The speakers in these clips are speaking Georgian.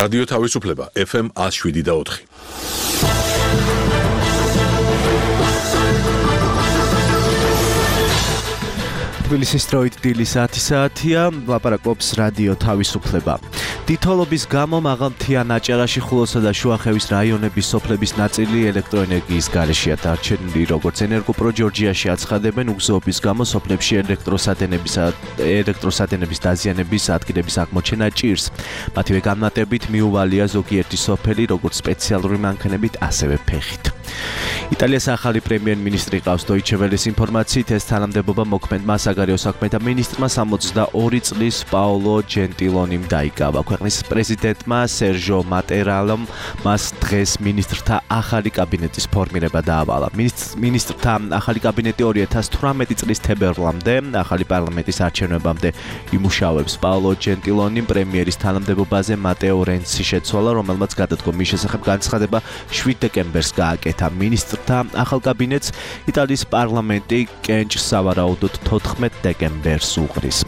რადიო თავისუფლება FM 107.4. თბილისის დროით დილის 10 საათია, ლაპარაკობს რადიო თავისუფლება. თითოლობის გამო მაღალმთიან აჭარაში, ხულოსა და შუახევის რაიონების სოფლების ნაწილი ელექტროენერგიის გარეშეა დარჩენილი, როგორც ენერგოპრო ჯორჯიაში აცხადებენ, უგზოობის გამო სოფლებში ელექტროსადენების დაზიანების ადგილების აღმოჩენა ჭირს. მათივე განმარტებით მიუვალია ზოგიერთი სოფელი, როგორც სპეციალური მანქანებით, ასევე ფეხით. იტალიის ახალი პრემიერ-მინისტრი ყავს Deutsche Welle-ის ინფორმაციით, ეს თანამდებობა მოქმედმა საგარეო საქმეთა მინისტრმა 62 წლის პაოლო ჯენტილონიმ დაიკავა. ქვეყნის პრეზიდენტმა სერჟო მატერალომ მას დღეს მინისტრთა ახალი კაბინეტის ფორმირება დაავალა. მინისტრთა ახალი კაბინეტი 2018 წლის თებერვლამდე ახალი პარლამენტის არჩევნებამდე იმუშავებს. პაოლო ჯენტილონიმ პრემიერის თანამდებობაზე მატეო რენცი შეცვალა, რომელმაც გადადგომის შესახებ განცხადება 7 დეკემბერს გააკეთა. მინისტრთა ახალ კაბინეტს იტალიის პარლამენტი კენჭს სავარაუდოდ 14 დეკემბერს უღრის.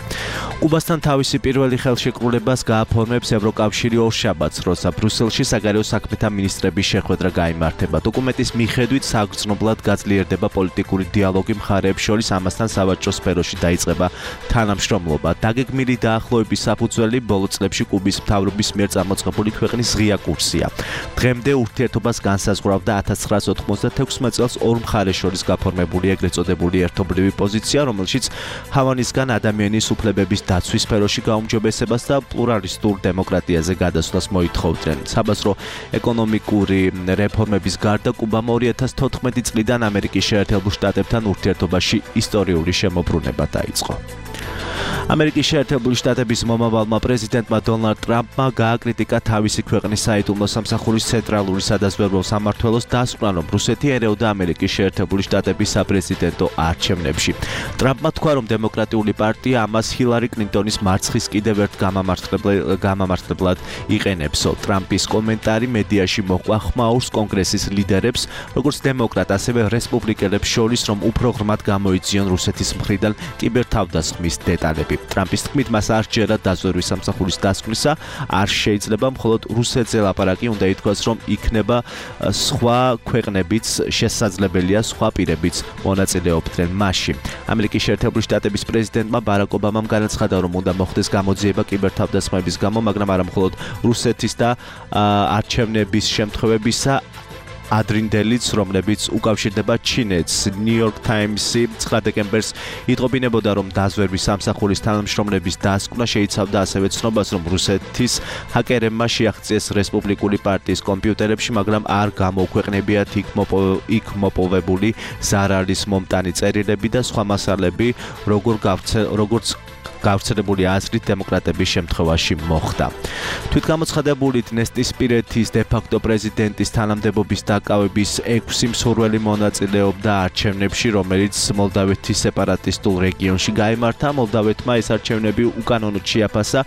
კუბასთან თავისი პირველი ხელშეკრულებას გააფორმებს ევროკავშირი ორშაბათს, როცა ბრუსელში საგარეო საქმეთა მინისტრების შეხვედრა გაიმართება. დოკუმენტის მიხედვით საგრძნობლად გაძლიერდება პოლიტიკური დიალოგი მხარეებს შორის, ამასთან სავაჭრო სფეროში დაიწყება თანამშრომლობა. დაგეგმილი დაახლოების საფუძველი ბოლო წლებში კუბის მთავრობის მიერ წამოწყებული ქვეყნის ღია კურსია. დღემდე ურთიერთობას განსაზღვრავდა 1996 წელს ორ მხარეს შორის გაფორმებული ეგრეთ წოდებული ერთობლივი პოზიცია, რომელშიც ჰავანისგან ადამიანის უფლებების დაცვის სფეროში გაუმჯობესებას და პლურალისტურ დემოკრატიაზე გადასვლას მოითხოვდნენ. საბაზრო ეკონომიკური რეფორმების გარდა კუბამ 2014 წლიდან ამერიკის შეერთებულ შტატებთან ურთიერთობაში ისტორიული შემოbrunება დაიწყო. ამერიკის შეერთებული შტატების მომავალმა პრეზიდენტმა დონალდ ტრამპმა გააკრიტიკა თავისი ქვეყნის საიდუმლო სამსახურის ცენტრალური სადაზვერვო სამმართველოს დასკვნა, რომ რუსეთი ერეოდა ამერიკის შეერთებული შტატების საპრეზიდენტო არჩევნებში. ტრამპმა თქვა, რომ დემოკრატიული პარტია ამას ჰილარი კლინტონის მარცხის კიდევ ერთ გამამართლებლად იყენებსო. ტრამპის კომენტარი მედიაში მოჰყვა ხმაურს კონგრესის ლიდერებს, როგორც დემოკრატ, ასევე რესპუბლიკელებს შორის, რომ უფრო ღრმად გამოიძიონ რუსეთის მხრიდან კიბერთავდასხმის დეტალები. ტრამპის თქმით, მას არ სჯერა დაზვერვის სამსახურის დასკვნისა, არ შეიძლება, მხოლოდ რუსეთზე ლაპარაკი უნდა ითქვას, რომ იქნება სხვა ქვეყნებიც შესაძლებელია სხვა პირებიც მონაწილეობდნენ მასში. ამერიკის შეერთებული შტატების პრეზიდენტმა ბარაკ ობამამ განაცხადა, რომ უნდა მოხდეს გამოძიება კიბერთავდასხმების გამო, მაგრამ არა მხოლოდ რუსეთის და არჩევნების შემთხვევებისა, ადრინდელიც, რომლებიც უკავშირდება ჩინეთს. New York Times-ი 9 დეკემბერს იტყობინებოდა, რომ დაზვერვის სამსახურის თანამშრომლების დასკვნა შეიცავდა ასევე ცნობას, რომ რუსეთის ჰაკერებმა შეაღწიეს რესპუბლიკური პარტიის კომპიუტერებში, მაგრამ არ გამოუქვეყნებიათ იქ მოპოვებული ზარალის მომტანი წერილები და სხვა მასალები, როგორც გავრცელებული აზრით დემოკრატების შემთხვევაში მოხდა. თვითგამოცხადებული დნესტრისპირეთის დე-ფაქტო პრეზიდენტის თანამდებობის დაკავების 6 მსურველი მონაწილეობდა არჩევნებში, რომელიც მოლდავეთის სეპარატისტულ რეგიონში გაიმართა. მოლდავეთმა ეს არჩევნები უკანონოდ შეაფასა.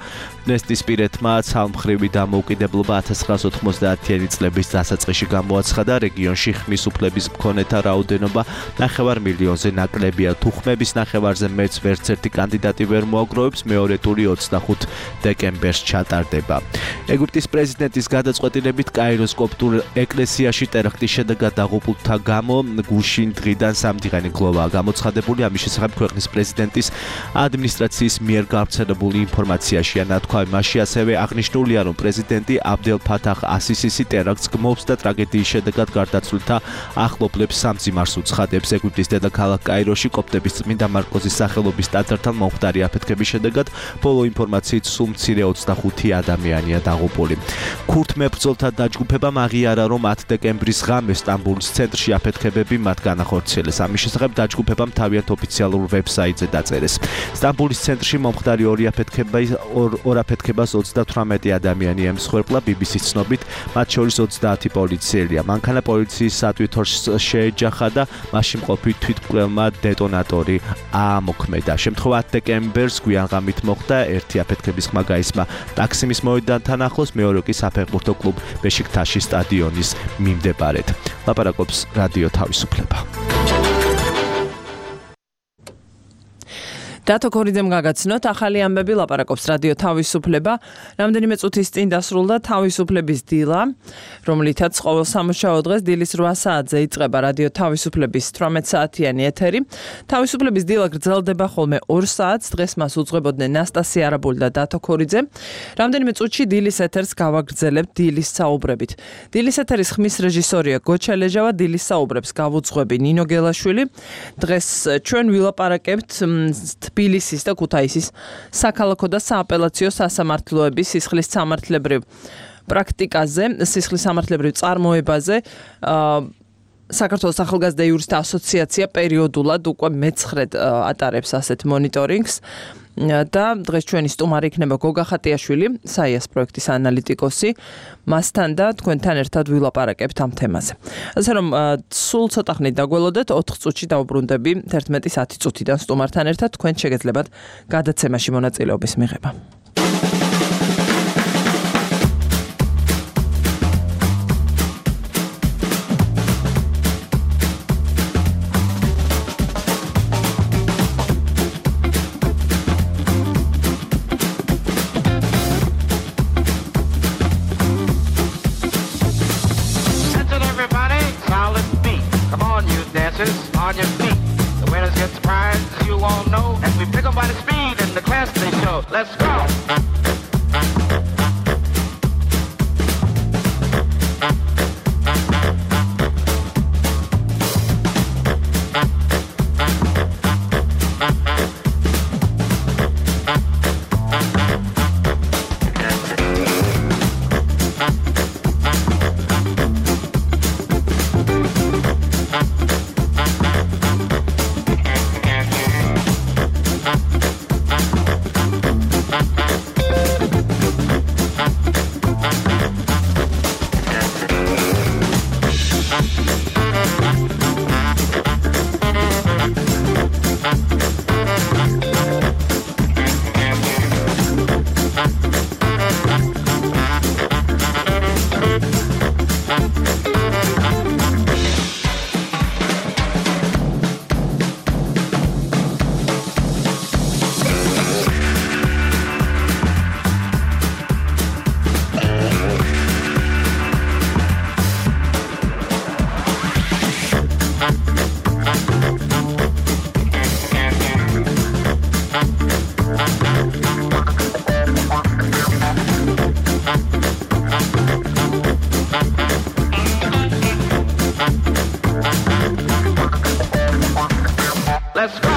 დნესტრისპირეთმა ცალმხრივი დამოუკიდებლობა 1990-იანი წლების დასაწყისში გამოაცხადა. რეგიონში ხმის უფლების მქონეთა რაოდენობა 9 მილიონზე ნაკლებია. თუ ხმების 9-ზე მეც ვერც ერთი კანდიდატი ვერ მოაგროვებს, მეორე ტური 25 დეკემბერს ჩატარდება. ეგვიპტის პრეზიდენტის გადაწყვეტილებით კაიროს კოპტურ ეკლესიაში ტერაქტის შედეგად დაღუპულთა გამო გუშინ დღიდან 3 დღიანი გლოვაა გამოცხადებული. ამის შესახებ ქვეყნის პრეზიდენტის ადმინისტრაციის მიერ გავრცელებული ინფორმაციაშია ნათქვა. მასში ასევე აღნიშნულია, რომ პრეზიდენტი აბდელ ფათახ ასისისი ტერაქტს გმობს და ტრაგედიის შედეგად გარდაცვლილთა ახლობლებს სამძიმარს უცხადებს. ეგვიპტის დედაქალაქ კაიროში კოპტების წმინდა მარკოზის სახელობის ტაძართან მომხდარი აფეთქების შედეგად ბოლო ინფორმაციით სულ მცირე 25 ადამიანია დაღუპული. ქურთ მებრძოლთა დაჯგუფებამ აღიარა, რომ 10 დეკემბრის ღამე სტამბოლის ცენტრში აფეთქებები მათ განახორციელეს. ამის შესახებ დაჯგუფებამ თავიანთ ოფიციალურ ვებსაიტზე დაწერეს. სტამბოლის ცენტრში მომხდარი ორ აფეთქებას 38 ადამიანი ემსხვერპლა. BBC-ს ცნობით, მათ შორის 30 პოლიციელია. მანქანა პოლიციის სატვირთოს შეეჯახა და მასში მყოფი თვითმკვლელმა დეტონატორი აამოქმედა. შემთხვევა 10 დეკემბერს გვიან ღამით მოხდა. ერთი აფეთქების ხმა გაისმა ტაქსიმის მოედანთან ახლოს, მეორე კი საფეხბურთო კლუბ ბეშიქტაშის სტადიონის მიმდებარედ. ლაპარაკობს რადიო თავისუფლება. დათო ქორიძემ გაგაცნოთ, ახალი ამბები ლაპარაკობს რადიო თავისუფლება. რამდენიმე წუთის წინ დასრულდა თავისუფლების დილა, რომლითაც ყოველ სამუშაო დღეს დილის 8 საათზე იწყება რადიო თავისუფლების 18 საათიანი ეთერი. თავისუფლების დილა გრძელდება ხოლმე 2 საათს, დღეს მას უძღვებოდნენ ნასტასია არაბული და დათო ქორიძე. რამდენიმე წუთში დილის ეთერს გავაგრძელებთ დილის საუბრებით. დილის ეთერის ხმის რეჟისორია გოჩა ლეჟავა, დილის საუბრებს გავუძღვები ნინო გელაშვილი. დღეს ჩვენ ვილაპარაკებთ თბილისის და ქუთაისის საქალაქო და სააპელაციო სასამართლოების სისხლის სამართლებრივ პრაქტიკაზე, სისხლის სამართლებრივ წარმოებაზე. საქართველოს ახალგაზრდა იურისტთა ასოციაცია პერიოდულად უკვე მე-9-ად ატარებს ასეთ მონიტორინგს. და დღეს ჩვენი სტუმარი იქნება გოგა ხატიაშვილი, საიას პროექტის ანალიტიკოსი. მასთან და თქვენთან ერთად ვილაპარაკებთ ამ თემაზე. ასე რომ სულ ცოტა ხნით დაგველოდეთ, 4 წუთში დავუბრუნდები 11:10 წუთიდან სტუმართან ერთად, თქვენ შეგეძლებათ გადაცემაში მონაწილეობის მიღება. On your feet, the winners get the prize, you won't know. And we pick them by the speed and the class they show. Let's go! Let's go!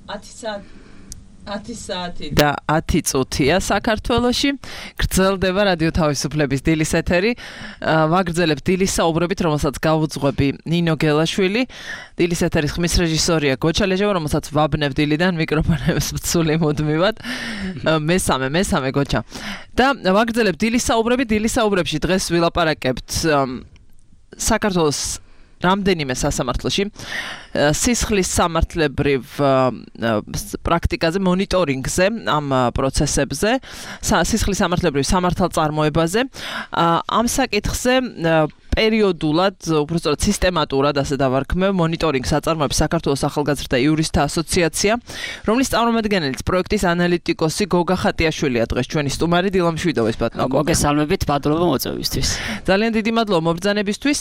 10 საათი და 10 წუთია საქართველოში. გრძელდება რადიო თავისუფლების დილის ეთერი. ვაგრძელებთ დილის საუბრებით, რომელსაც გავუძღვები ნინო გელაშვილი. დილის ეთერის ხმის რეჟისორია გოჩა ლეჟევა, რომელსაც ვაბნებ დილიდან მიკროფონებს ვცული მუდმივად. მესამე გოჩა. და ვაგრძელებთ დილის საუბრებით. დილის საუბრებში დღეს ვილაპარაკებთ საქართველოს რამდენიმე სასამართლოში სისხლის სამართლებრივ პრაქტიკაზე, მონიტორინგზე, ამ პროცესებზე, სისხლის სამართლებრივ სამართალწარმოებაზე, ამ საკითხზე პერიოდულად, უბრალოდ სისტემატურად ასე დავარქმევ მონიტორინგს აწარმოებს საქართველოს ახალგაზრდა იურისტთა ასოციაცია, რომლის წარმომადგენელიც პროექტის ანალიტიკოსი გოგა ხატიაშვილია დღეს ჩვენი სტუმარი დილა მშვიდობის ბატონო. მოგესალმებით მადლობა მოწვევისთვის. ძალიან დიდი მადლობა მობრძანებისთვის.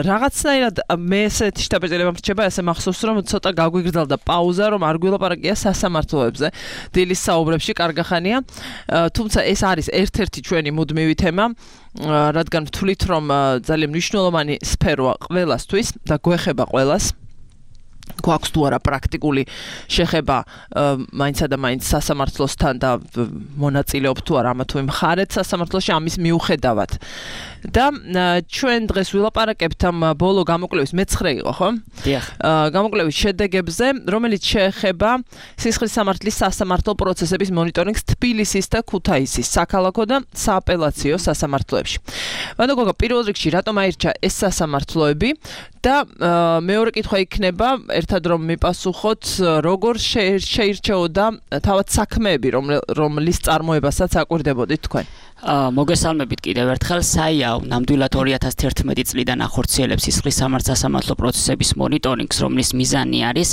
რაღაცნაირად მე ესეთი შთაბეჭდილება მრჩება, ასე მახსოვს რომ ცოტა გაგვიგრძელდა პაუზა, რომ არ გვილაპარაკია სასამართლოებზე. დილის საუბრებში კარგახანია. თუმცა ეს არის ერთ-ერთი ჩვენი მუდმივი თემა. რადგან ვთვლით რომ ძალიან მნიშვნელოვანი სფეროა ყველასთვის და გვეხება ყველას. გვაქვს თუ არა პრაქტიკული შეხება მაინცსა და მაინც სასამართლოსთან და მონაწილეობთ თუ არა ამა თუ იმ მხარეთ სასამართლოში ამის მიუხედავად. და ჩვენ დღეს ვილაპარაკებთ ამ ბოლო გამოკვლევის მე-9 იყო, ხო? დიახ. გამოკვლევის შედეგებზე, რომელიც შეეხება სისხლის სამართლის სასამართლო პროცესების მონიტორინგს თბილისის და ქუთაისის საქალაქო და სააპელაციო სასამართლოებში. ბატონო გოგა, პირველ რიგში რატომ აირჩა ეს სასამართლოები და მეორე კითხვა იქნება ერთად რომ მიპასუხოთ, როგორ შეირჩეოდა თავად საქმეები, რომლის წარმოებასაც აკვირდებოდით თქვენ? მოგესალმებით კიდევ ერთხელ. საიაო ნამდვილად 2011 წლიდან ახორციელებს სისხლის სამართალ-სასამართლო პროცესების მონიტორინგს, რომლის მიზანი არის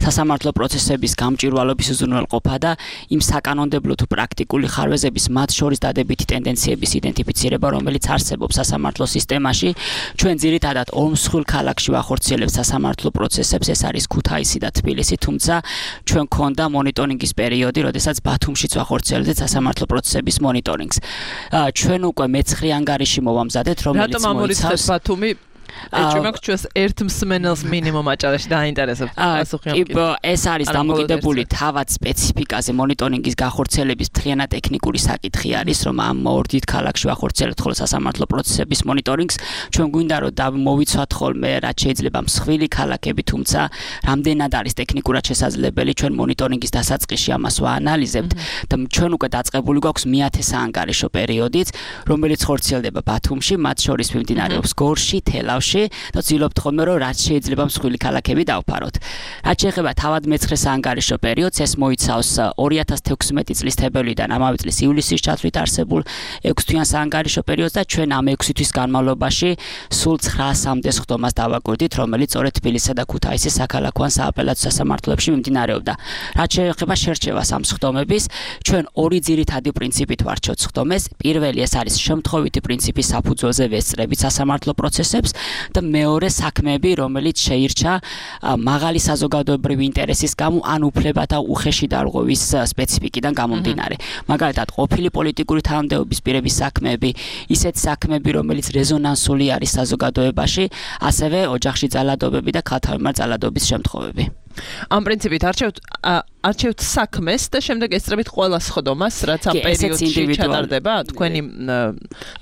სასამართლო პროცესების გამჭვირვალობის უზრუნველყოფა და იმ საკანონმდებლო თუ პრაქტიკული ხარვეზების მათ შორის დადებითი ტენდენციების იდენტიფიცირება, რომელიც არსებობს სასამართლო სისტემაში. ჩვენ ძირითადად ორ მსხვილ ქალაქში ვახორციელებთ სასამართლო პროცესებს, ეს არის ქუთაისი და თბილისი, თუმცა ჩვენ გქონდა მონიტორინგის პერიოდი, როდესაც ბათუმშიც ვახორციელებთ სასამართლო პროცესების მონიტორინგს. ჩვენ უკვე მე-9 ანგარიში მოვამზადეთ, რომელიც რატომ ამორიცხეთ ბათუმი? ეჭვმაქვს ჩვენს ერთ მსმენელს მინიმუმ აჭარაში დაინტერესებს პასუხი ამ კითხვაზე. ეს არის დამოკიდებული თავად სპეციფიკაზე, მონიტორინგის გახორციელების მთლიანად ტექნიკური საკითხი არის, რომ ამ ორ დიდ ქალაქში ვახორციელებთ ხოლმე სასამართლო პროცესების მონიტორინგს. ჩვენ გვინდა რომ მოვიცვათ ხოლმე რაც შეიძლება მსხვილი ქალაქები, თუმცა რამდენად არის ტექნიკურად შესაძლებელი, ჩვენ მონიტორინგის დასაწყისში ამას ვაანალიზებთ და ჩვენ უკვე დაწყებული გვაქვს მე-10 საანგარიშო პერიოდიც, რომელიც ხორციელდება ბათუმში, მათ შორის მიმდინარეობს გორში, თელავში და ვცდილობთ ხოლმე რომ რაც შეიძლება მსხვილი ქალაქები დავფაროთ. რაც შეეხება თავად მე-9 საანგარიშო პერიოდს, ეს მოიცავს 2016 წლის თებერვლიდან ამავე წლის ივლისის ჩათვლით არსებულ 6 თვიან საანგარიშო პერიოდს და ჩვენ ამ 6 თვის განმავლობაში სულ 900-მდე სხდომას დავაკვირდით, რომელიც სწორედ თბილისსა და ქუთაისის საქალაქო ან სააპელაციო სასამართლოებში მიმდინარეობდა. რაც შეეხება შერჩევას ამ სხდომების, ჩვენ ორი ძირითადი პრინციპით ვარჩევთ სხდომებს. პირველი ეს არის შემთხვევითი პრინციპის საფუძველზე ვესწრებით სასამართლო პროცესებს და მეორე საქმეები, რომელიც შეირჩა მაღალი საზოგადოებრივი ინტერესის გამო ან უფლებათა უხეში დარღვევის სპეციფიკიდან გამომდინარე. მაგალითად, ყოფილი პოლიტიკური თანამდებობის პირების საქმეები, ისეთ საქმეები, რომელიც რეზონანსული არის საზოგადოებაში, ასევე ოჯახში ძალადობები და ქალთა მიმართ ძალადობის შემთხვევები. ამ პრინციპით არჩევთ საქმეს და შემდეგ ესწრებით ყველა სხდომას, რაც ამ პერიოდში ჩატარდება, თქვენი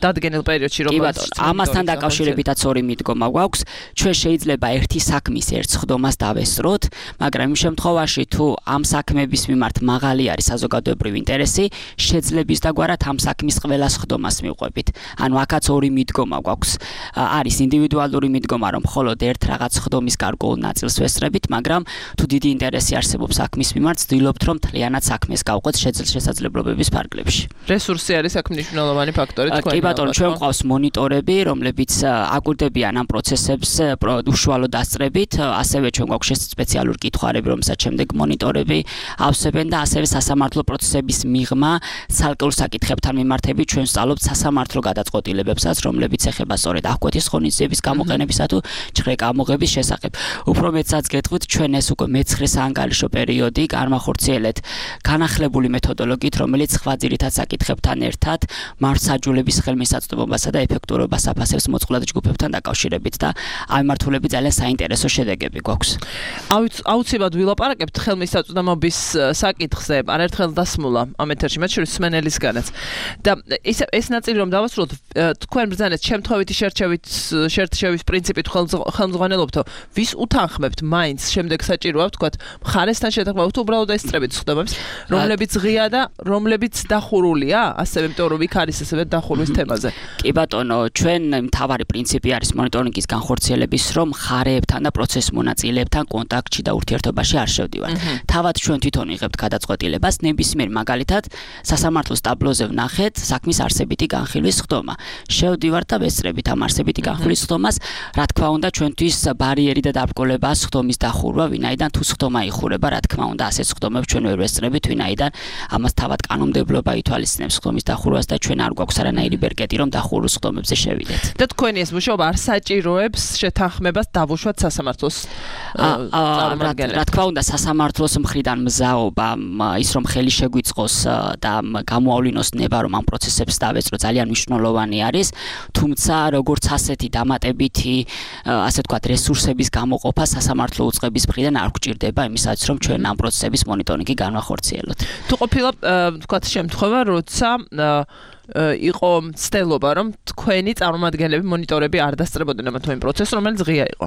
დადგენილ პერიოდში რომელიც ამასთან დაკავშირებითაც ორი მიდგომა გვაქვს. ჩვენ შეიძლება ერთი საქმის ერთ სხდომას დავესწროთ, მაგრამ იმ შემთხვევაში თუ ამ საქმების მიმართ მაღალი არის საზოგადოებრივი ინტერესი, შეძლებს დაგვარად ამ საქმის ყველა სხდომას მივყვებით. ანუ აქაც ორი მიდგომა გვაქვს. არის ინდივიდუალური მიდგომა, რომ მხოლოდ ერთ რაღაც სხდომის გარკვეულ ნაწილს ვესწრებით, მაგრამ თუ დიდი ინტერესი არსებობს საქმის მიმართ, ვცდილობთ რომ მთლიანად საქმეს გავყვეთ შესაძლებლობების ფარგლებში. რესურსი არის აქ მნიშვნელოვანი ფაქტორი თქვენ. კი ბატონო, ჩვენ გვყავს მონიტორები, რომლებიც აკვირდებიან ამ პროცესებს უშუალო დასწრებით, ასევე ჩვენ გვაქვს სპეციალური კითხვარები, რომელსაც შემდეგ მონიტორები ავსებენ და ასევე სასამართლო პროცესების მიღმა, ცალკეულ საკითხებთან მიმართებით ჩვენ ვსწავლობთ სასამართლო გადაწყვეტილებებსაც, რომლებიც ეხება სწორედ აღკვეთის ღონისძიების გამოყენებისა თუ ჩხრეკამოღების შესახებ. უფრო მეტსაც გეტყვით, ჩვენ ეს უკვე მე-9 საანგარიშო პერიოდი განვახორციელეთ განახლებული მეთოდოლოგიით, რომელიც სხვა ძირითად საკითხებთან ერთად მართლმსაჯულების ხელმისაწვდომობასა და ეფექტურობას აფასებს მოწყვლად ჯგუფებთან დაკავშირებით და ამ მართულები ძალიან საინტერესო შედეგები გვაქვს. აუცილებლად ვილაპარაკებთ ხელმისაწვდომობის საკითხზე, არაერთხელ დასმულა ამ ეთერში, მათ შორის სმენელისგანაც. და ეს ნაწილი რომ დავასრულოთ, თქვენ ბრძანეთ შემთხვევითი შერჩევის პრინციპით ხელმძღვანელობთო, ვის უთანხმებთ მაინც შემდეგ საჭიროა ვთქვათ, მხარესთან შეთანხმება თუ უბრალოდ ესწრებით სხდომებს, რომლებიც ღია და რომლებიც დახურულია, ასევე იმიტომ რომ იქ არის ასევე დახურვის თემაზე. კი ბატონო, ჩვენ მთავარი პრინციპი არის მონიტორინგის განხორციელების, რომ მხარეებთან და პროცესის მონაწილეებთან კონტაქტში და ურთიერთობაში არ შევდივართ. თავად ჩვენ თვითონ იღებთ გადაწყვეტილებას, ნებისმიერ მაგალითად სასამართლოს ტაბლოზე ვნახეთ საქმის არსებითი განხილვის სხდომა. შევდივართ და ვესწრებით ამ არსებითი განხილვის სხდომას, რა თქმა უნდა, ჩვენთვის ბარიერი და დაბრკოლებაა სხდომის დახურვა, ვინაიდან თუ სხდომა იხურება, რა თქმა უნდა, ასეთ სხდომებს ჩვენ ვერ ვესწრებით, ვინაიდან ამას თავად კანონმდებლობა ითვალისწინებს სხდომის დახურვას და ჩვენ არ გვაქვს არანაირი ბერკეტი, რომ დახურულ სხდომებზე შევიდეთ. და თქვენი ეს მუშაობა არ საჭიროებს შეთანხმებას დავუშვათ სასამართლოს წარმომადგენლებს. რა თქმა უნდა, სასამართლოს მხრიდან მზაობა ის რომ ხელი შეგვიწყოს და გამოავლინოს ნება, რომ ამ პროცესებს დავეწყო ძალიან მნიშვნელოვანი არის, თუმცა როგორც ასეთი დამატებითი, ასე ვთქვათ, რესურსების გამოყოფა სასამართლო უწყების მხრიდან არ გვჭირდება იმისათვის, რომ ჩვენ ამ პროცესების მონიტორინგი განვახორციელოთ. თუ ყოფილა, ვთქვათ, შემთხვევა, როცა იყო ცდელობა, რომ თქვენი წარმომადგენლები მონიტორები არ დასწრებოდნენ ამ თუ იმ პროცესს, რომელიც ღია იყო.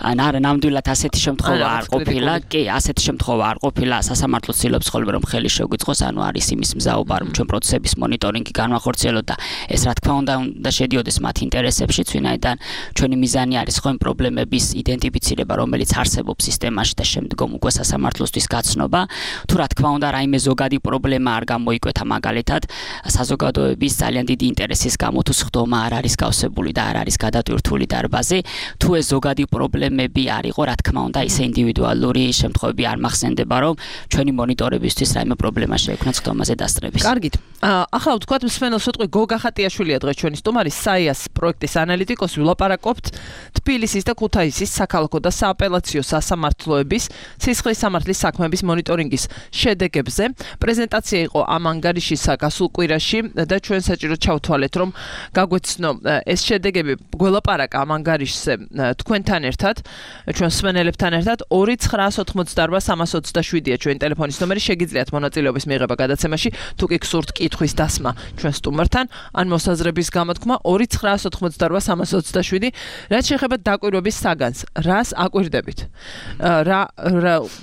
არა, ნამდვილად ასეთი შემთხვევა არ ყოფილა. კი, ასეთი შემთხვევა არ ყოფილა. სასამართლო ცდილობს ხოლმე რომ ხელი შეგვიწყოს, ანუ არის იმის მზაობა, რომ ჩვენ პროცესების მონიტორინგი განვახორციელოთ და ეს რა თქმა უნდა შედიოდეს მათ ინტერესებშიც, ვინაიდან ჩვენი მიზანი არის ხო იმ პრობლემების იდენტიფიცირება, რომელიც არსებობს სისტემაში და შემდგომ უკვე სასამართლოსთვის გაცნობა. თუ რა თქმა უნდა, რაიმე ზოგადი პრობლემა არ გამოიკვეთა, მაგალითად, საზოგადოების ძალიან დიდი ინტერესის გამო თუ სხდომა არ არის გავსებული და არ არის გადატვირთული დარბაზი, თუ ეს ზოგადი პრობლემები არ იყო, რა თქმა უნდა, ისე ინდივიდუალური შემთხვევები არ მახსენდება, რომ ჩვენი მონიტორებისთვის რაიმე პრობლემა შეექმნა სხდომაზე დასწრების. კარგით. ახლა ვთქვათ, მსმენელს ვიტყვი გოგა ხატიაშვილია დღეს ჩვენი სტუმარი, საიას პროექტის ანალიტიკოსი, ვილაპარაკობთ თბილისის და ქუთაისის საქალაქო და სააპელაციო სასამართლოების სისხლის სამართლის საქმეების მონიტორინგის შედეგებზე. პრეზენტაცია იყო ამ ანგარიშის გასულ კვირაში და ჩვენ საჭიროდ ჩავთვალეთ, რომ გაგვეცნო ეს შედეგები გველაპარაკა ამ ანგარიშზე თქვენთან ერთად, ჩვენ მსმენელებთან ერთად 2988327-ია ჩვენი ტელეფონის ნომერი, შეგიძლიათ მონაწილეობის მიღება გადაცემაში, თუ კი გსურთ კითხვის დასმა ჩვენ სტუმართან, ან მოსაზრების გამოთქმა 2988327. რაც შეეხება დაკვირვების საგანს, რას აკვირდებით? რა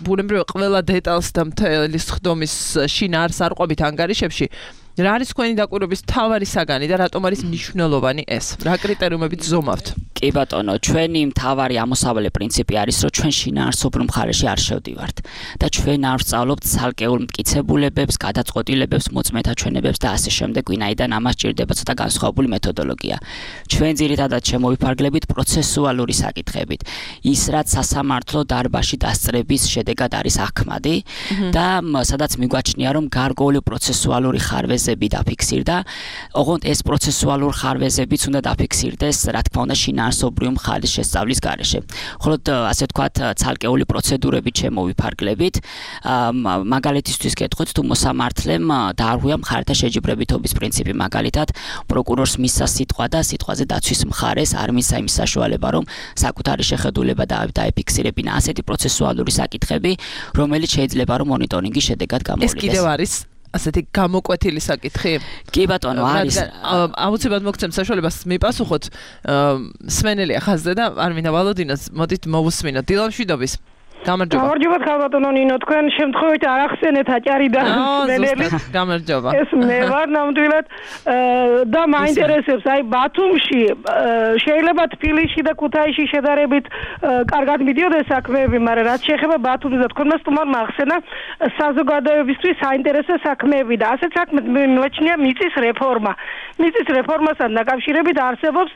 ბუნებრივია ყველა დეტალს და მთელი სხდომის შინაარსს არ ყვებით ანგარიშებში. რა არის თქვენი დაკვირვების მთავარი საგანი და რატომ არის მნიშვნელოვანი ეს? რა კრიტერიუმებით ზომავთ? კი ბატონო, ჩვენი მთავარი ამოსავალი პრინციპი არის, რომ ჩვენ შინაარსობრივ მხარეში არ შევდივართ და ჩვენ არ ვსწავლობთ ცალკეულ მტკიცებულებებს, გადაწყვეტილებებს, მოწმეთა ჩვენებებს და ასე შემდეგ, ვინაიდან ამას ჭირდება ცოტა განსხვავებული მეთოდოლოგია. ჩვენ ძირითადად შემოვიფარგლებით პროცესუალური საკითხებით. ის რაც სასამართლო დარბაზში დასწრების შედეგად არის ახმადი და სადაც მიგვაჩნია, რომ გარკვეული პროცესუალური ხარვეზები დაფიქსირდა, ოღონდ ეს პროცესუალურ ხარვეზებიც უნდა დაფიქსირდეს, რა თქმა უნდა, შინაარსობრივ მხარის შესწავლის გარეშე. ხოლო ასე ვთქვათ, ცალკეული პროცედურებით შემოვიფარგლებით, მაგალითისთვის გეტყვით, თუ მოსამართლემ დაარღვია მხარეთა შეჯიბრებითობის პრინციპი, მაგალითად, პროკურორს მისცა სიტყვა და სიტყვაზე დაცვის მხარეს არ მისცა იმის საშუალება, რომ საკუთარი შეხედულება დაეფიქსირებინა ასეთი პროცესუალური საკითხები, რომელიც შეიძლება რომ მონიტორინგის შედეგად გამოვლინდეს. ეს კიდევ არის ასეთი გამოკვეთილი საკითხი? კი ბატონო, არის. აუცილებლად მოგცემ საშუალებას მიპასუხოთ სმენელია ხაზზე და არ მინდა ვალოდინოს, მოდით მოვუსმინოთ. დილამშვიდობის. გამარჯობა ქალბატონო ნინო, თქვენ შემთხვევით არ ახსენეთ აჭარი და სმენელი. გამარჯობა. ეს მე ვარ ნამდვილად და მაინტერესებს, აი ბათუმში შეიძლება თბილისში და ქუთაისში შედარებით კარგად მიდიოდეს საქმეები, მაგრამ რაც შეეხება ბათუმს და თქვენმა სტუმარმა ახსენა საზოგადოებისთვის საინტერესო საქმეები და ასეთ საქმეს მიმაჩნია მიწის რეფორმა. მიწის რეფორმასთან დაკავშირებით არსებობს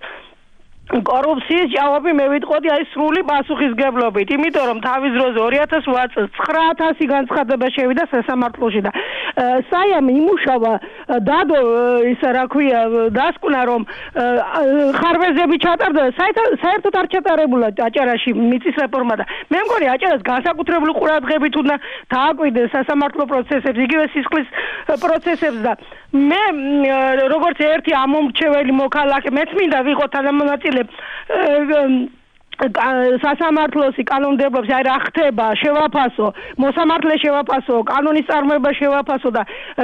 კორუფციის ჯავაბი მე ვიტყოდი აი სრული პასუხისგებლობით, იმიტომ რომ თავის დროზე 2008 წელს 9000 განცხადება შევიდა სასამართლოში და საიამ იმუშავა დადო ისა რა ქვია დასკვნა რომ ხარვეზები ჩატარდა საერთოდ არ ჩატარებულა აჭარაში მიწის რეფორმა და მე მგონი აჭარას განსაკუთრებული ყურადღებით უნდა დააკვირდეს სასამართლო პროცესებს, იგივე სისხლის პროცესებს და მე როგორც ერთი ამომრჩეველი მოქალაქე მეც მინდა ვიყო თანამონაწილე სასამართლოსი კანონმდებლობს აი რა ხდება შევაფასო მოსამართლე შევაფასო კანონის წარმოება შევაფასო და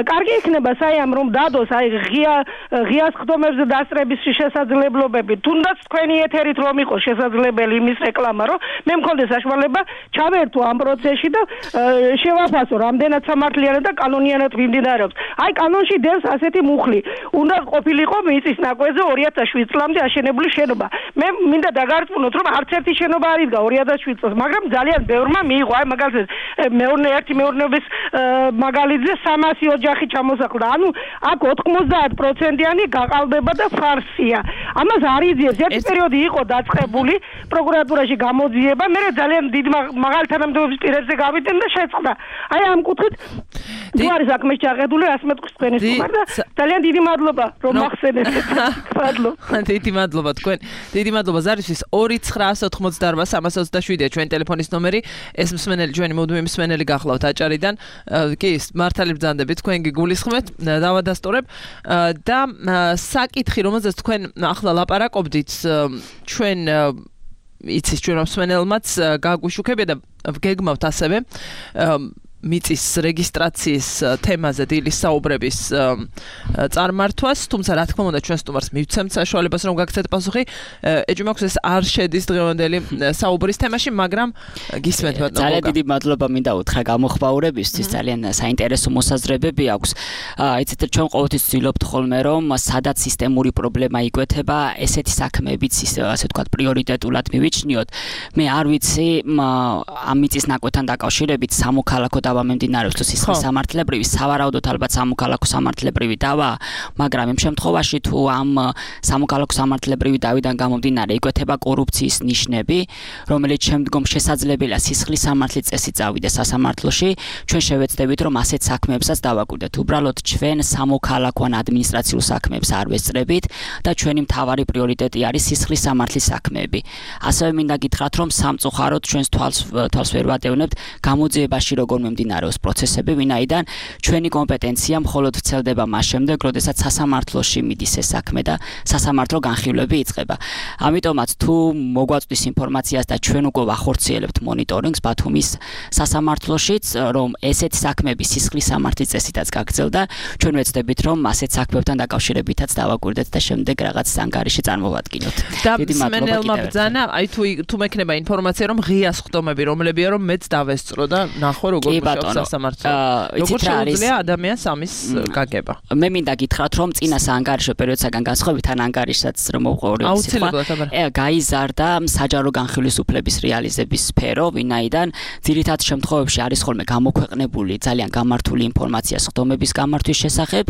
კარგი იქნება საიამ რომ დადოს აი ღიას ხდომებზე დასწრების შესაძლებლობები თუნდაც თქვენი ეთერით რომ იყოს შესაძლებელი იმის რეკლამა რომ მე მქონდეს საშუალება ჩავერთო ამ პროცესში და შევაფასო რამდენად სამართლიანად და კანონიანად მიმდინარეობს აი კანონში დევს ასეთი მუხლი უნდა ყოფილიყო მიწის ნაკვეთზე 2007 წლამდე აშენებული შენობა მე მინდა დაგარწმუნოთ რომ ერთი შენობა არ იდგა 2007 წელს, მაგრამ ძალიან ბევრმა მიიღო, აი მაგალითად მეურნეობის მაგალითზე 300 ოჯახი ჩამოსახლდა. ანუ აქ 90%-იანი გაყალბება და ფარსია. ამას არ იძიებს. ერთი პერიოდი იყო დაწყებული პროკურატურაში გამოძიება, მე ძალიან დიდ მაღალი თანამდებობის პირებზე გავიდნენ და შეწყდა. აი ამ კუთხით თუ არის საქმე ჩაღებული, რას მეტყვის თქვენი სტუმარ და ძალიან დიდი მადლობა რომ მახსენეთ. დიდი მადლობა თქვენ. დიდი მადლობა ზარისთვის 2988327-ია ჩვენი ტელეფონის ნომერი. ეს მსმენელი ჩვენი მუდმივი მსმენელი გახლავთ აჭარიდან. კი, მართალი ბრძანდებით, თქვენ გიგულისხმეთ, დავადასტურებ და საკითხი, რომელზეც თქვენ ახლა ლაპარაკობდით, ჩვენ იცის ჩვენ მსმენელმაც გაგვიშუქებია და გეგმავთ ასევე მიწის რეგისტრაციის თემაზე დილის საუბრების წარმართვას, თუმცა რა თქმა უნდა ჩვენ სტუმარს მივცემთ საშუალებას რომ გაგცეთ პასუხი. ეჭვი მაქვს ეს არ შედის დღევანდელი საუბრის თემაში, მაგრამ გისმენთ ბატონო. ძალიან დიდი მადლობა მინდა უთხრა გამოხმაურებისთვის, ძალიან საინტერესო მოსაზრებები აქვს. იცით ჩვენ ყოველთვის ვცდილობთ ხოლმე რომ სადაც სისტემური პრობლემა იკვეთება, ესეთი საქმეებიც ასე ვთქვათ პრიორიტეტულად მივიჩნიოთ. მე არ ვიცი ამ მიწის ნაკვეთთან დაკავშირებით სამოქალაქო დავა მიმდინარეობს თუ სისხლის სამართლებრივი, სავარაუდოდ ალბათ სამოქალაქო სამართლებრივი დავა, მაგრამ იმ შემთხვევაში თუ ამ სამოქალაქო სამართლებრივი დავიდან გამომდინარე იკვეთება კორუფციის ნიშნები, რომელიც შემდგომ შესაძლებელია სისხლის სამართლის წესით წავიდეს სასამართლოში, ჩვენ შევეცდებით რომ ასეთ საქმეებსაც დავაკვირდეთ. უბრალოდ ჩვენ სამოქალაქო ან ადმინისტრაციულ საქმეებს არ ვესწრებით და ჩვენი მთავარი პრიორიტეტი არის სისხლის სამართლის საქმეები. ასევე მინდა გითხრათ რომ სამწუხაროდ ჩვენს თვალს ვერ ვატევნებთ გამოძიებაში როგორ მიმდინარეობს პროცესები, ვინაიდან ჩვენი კომპეტენცია მხოლოდ ვრცელდება მას შემდეგ, როდესაც სასამართლოში მიდის ეს საქმე და სასამართლო განხილვები იწყება. ამიტომაც თუ მოგვაწვდის ინფორმაციას და ჩვენ უკვე ვახორციელებთ მონიტორინგს ბათუმის სასამართლოშიც, რომ ესეთი საქმეები სისხლის სამართლის წესითაც გაგრძელდა, ჩვენ ვეცდებით რომ ასეთ საქმეებთან დაკავშირებითაც დავაკვირდეთ და შემდეგ რაღაც ანგარიში წარმოვადგინოთ. დიდი მადლობა ბრძანა, აი თუ მექნება 인ფორმაცია რომ ღიას ხდომები რომლებია რომ მეც დავესწრო და ნახო როგორ მუშაობს სასამართლო. როგორ შეუძლია ადამიანს ამის გაგება. მე მინდა გითხრათ რომ წინა საანგარიშო პერიოდსაგან განსხვავებით ან ანგარიშსაც რომ მოვყურებთ გაიზარდა საჯარო განხილვის უფლების რეალიზების სფერო, ვინაიდან ძირითად შემთხვევებში არის ხოლმე გამოქვეყნებული ძალიან გამართული ინფორმაცია ხდომების გამართვის შესახებ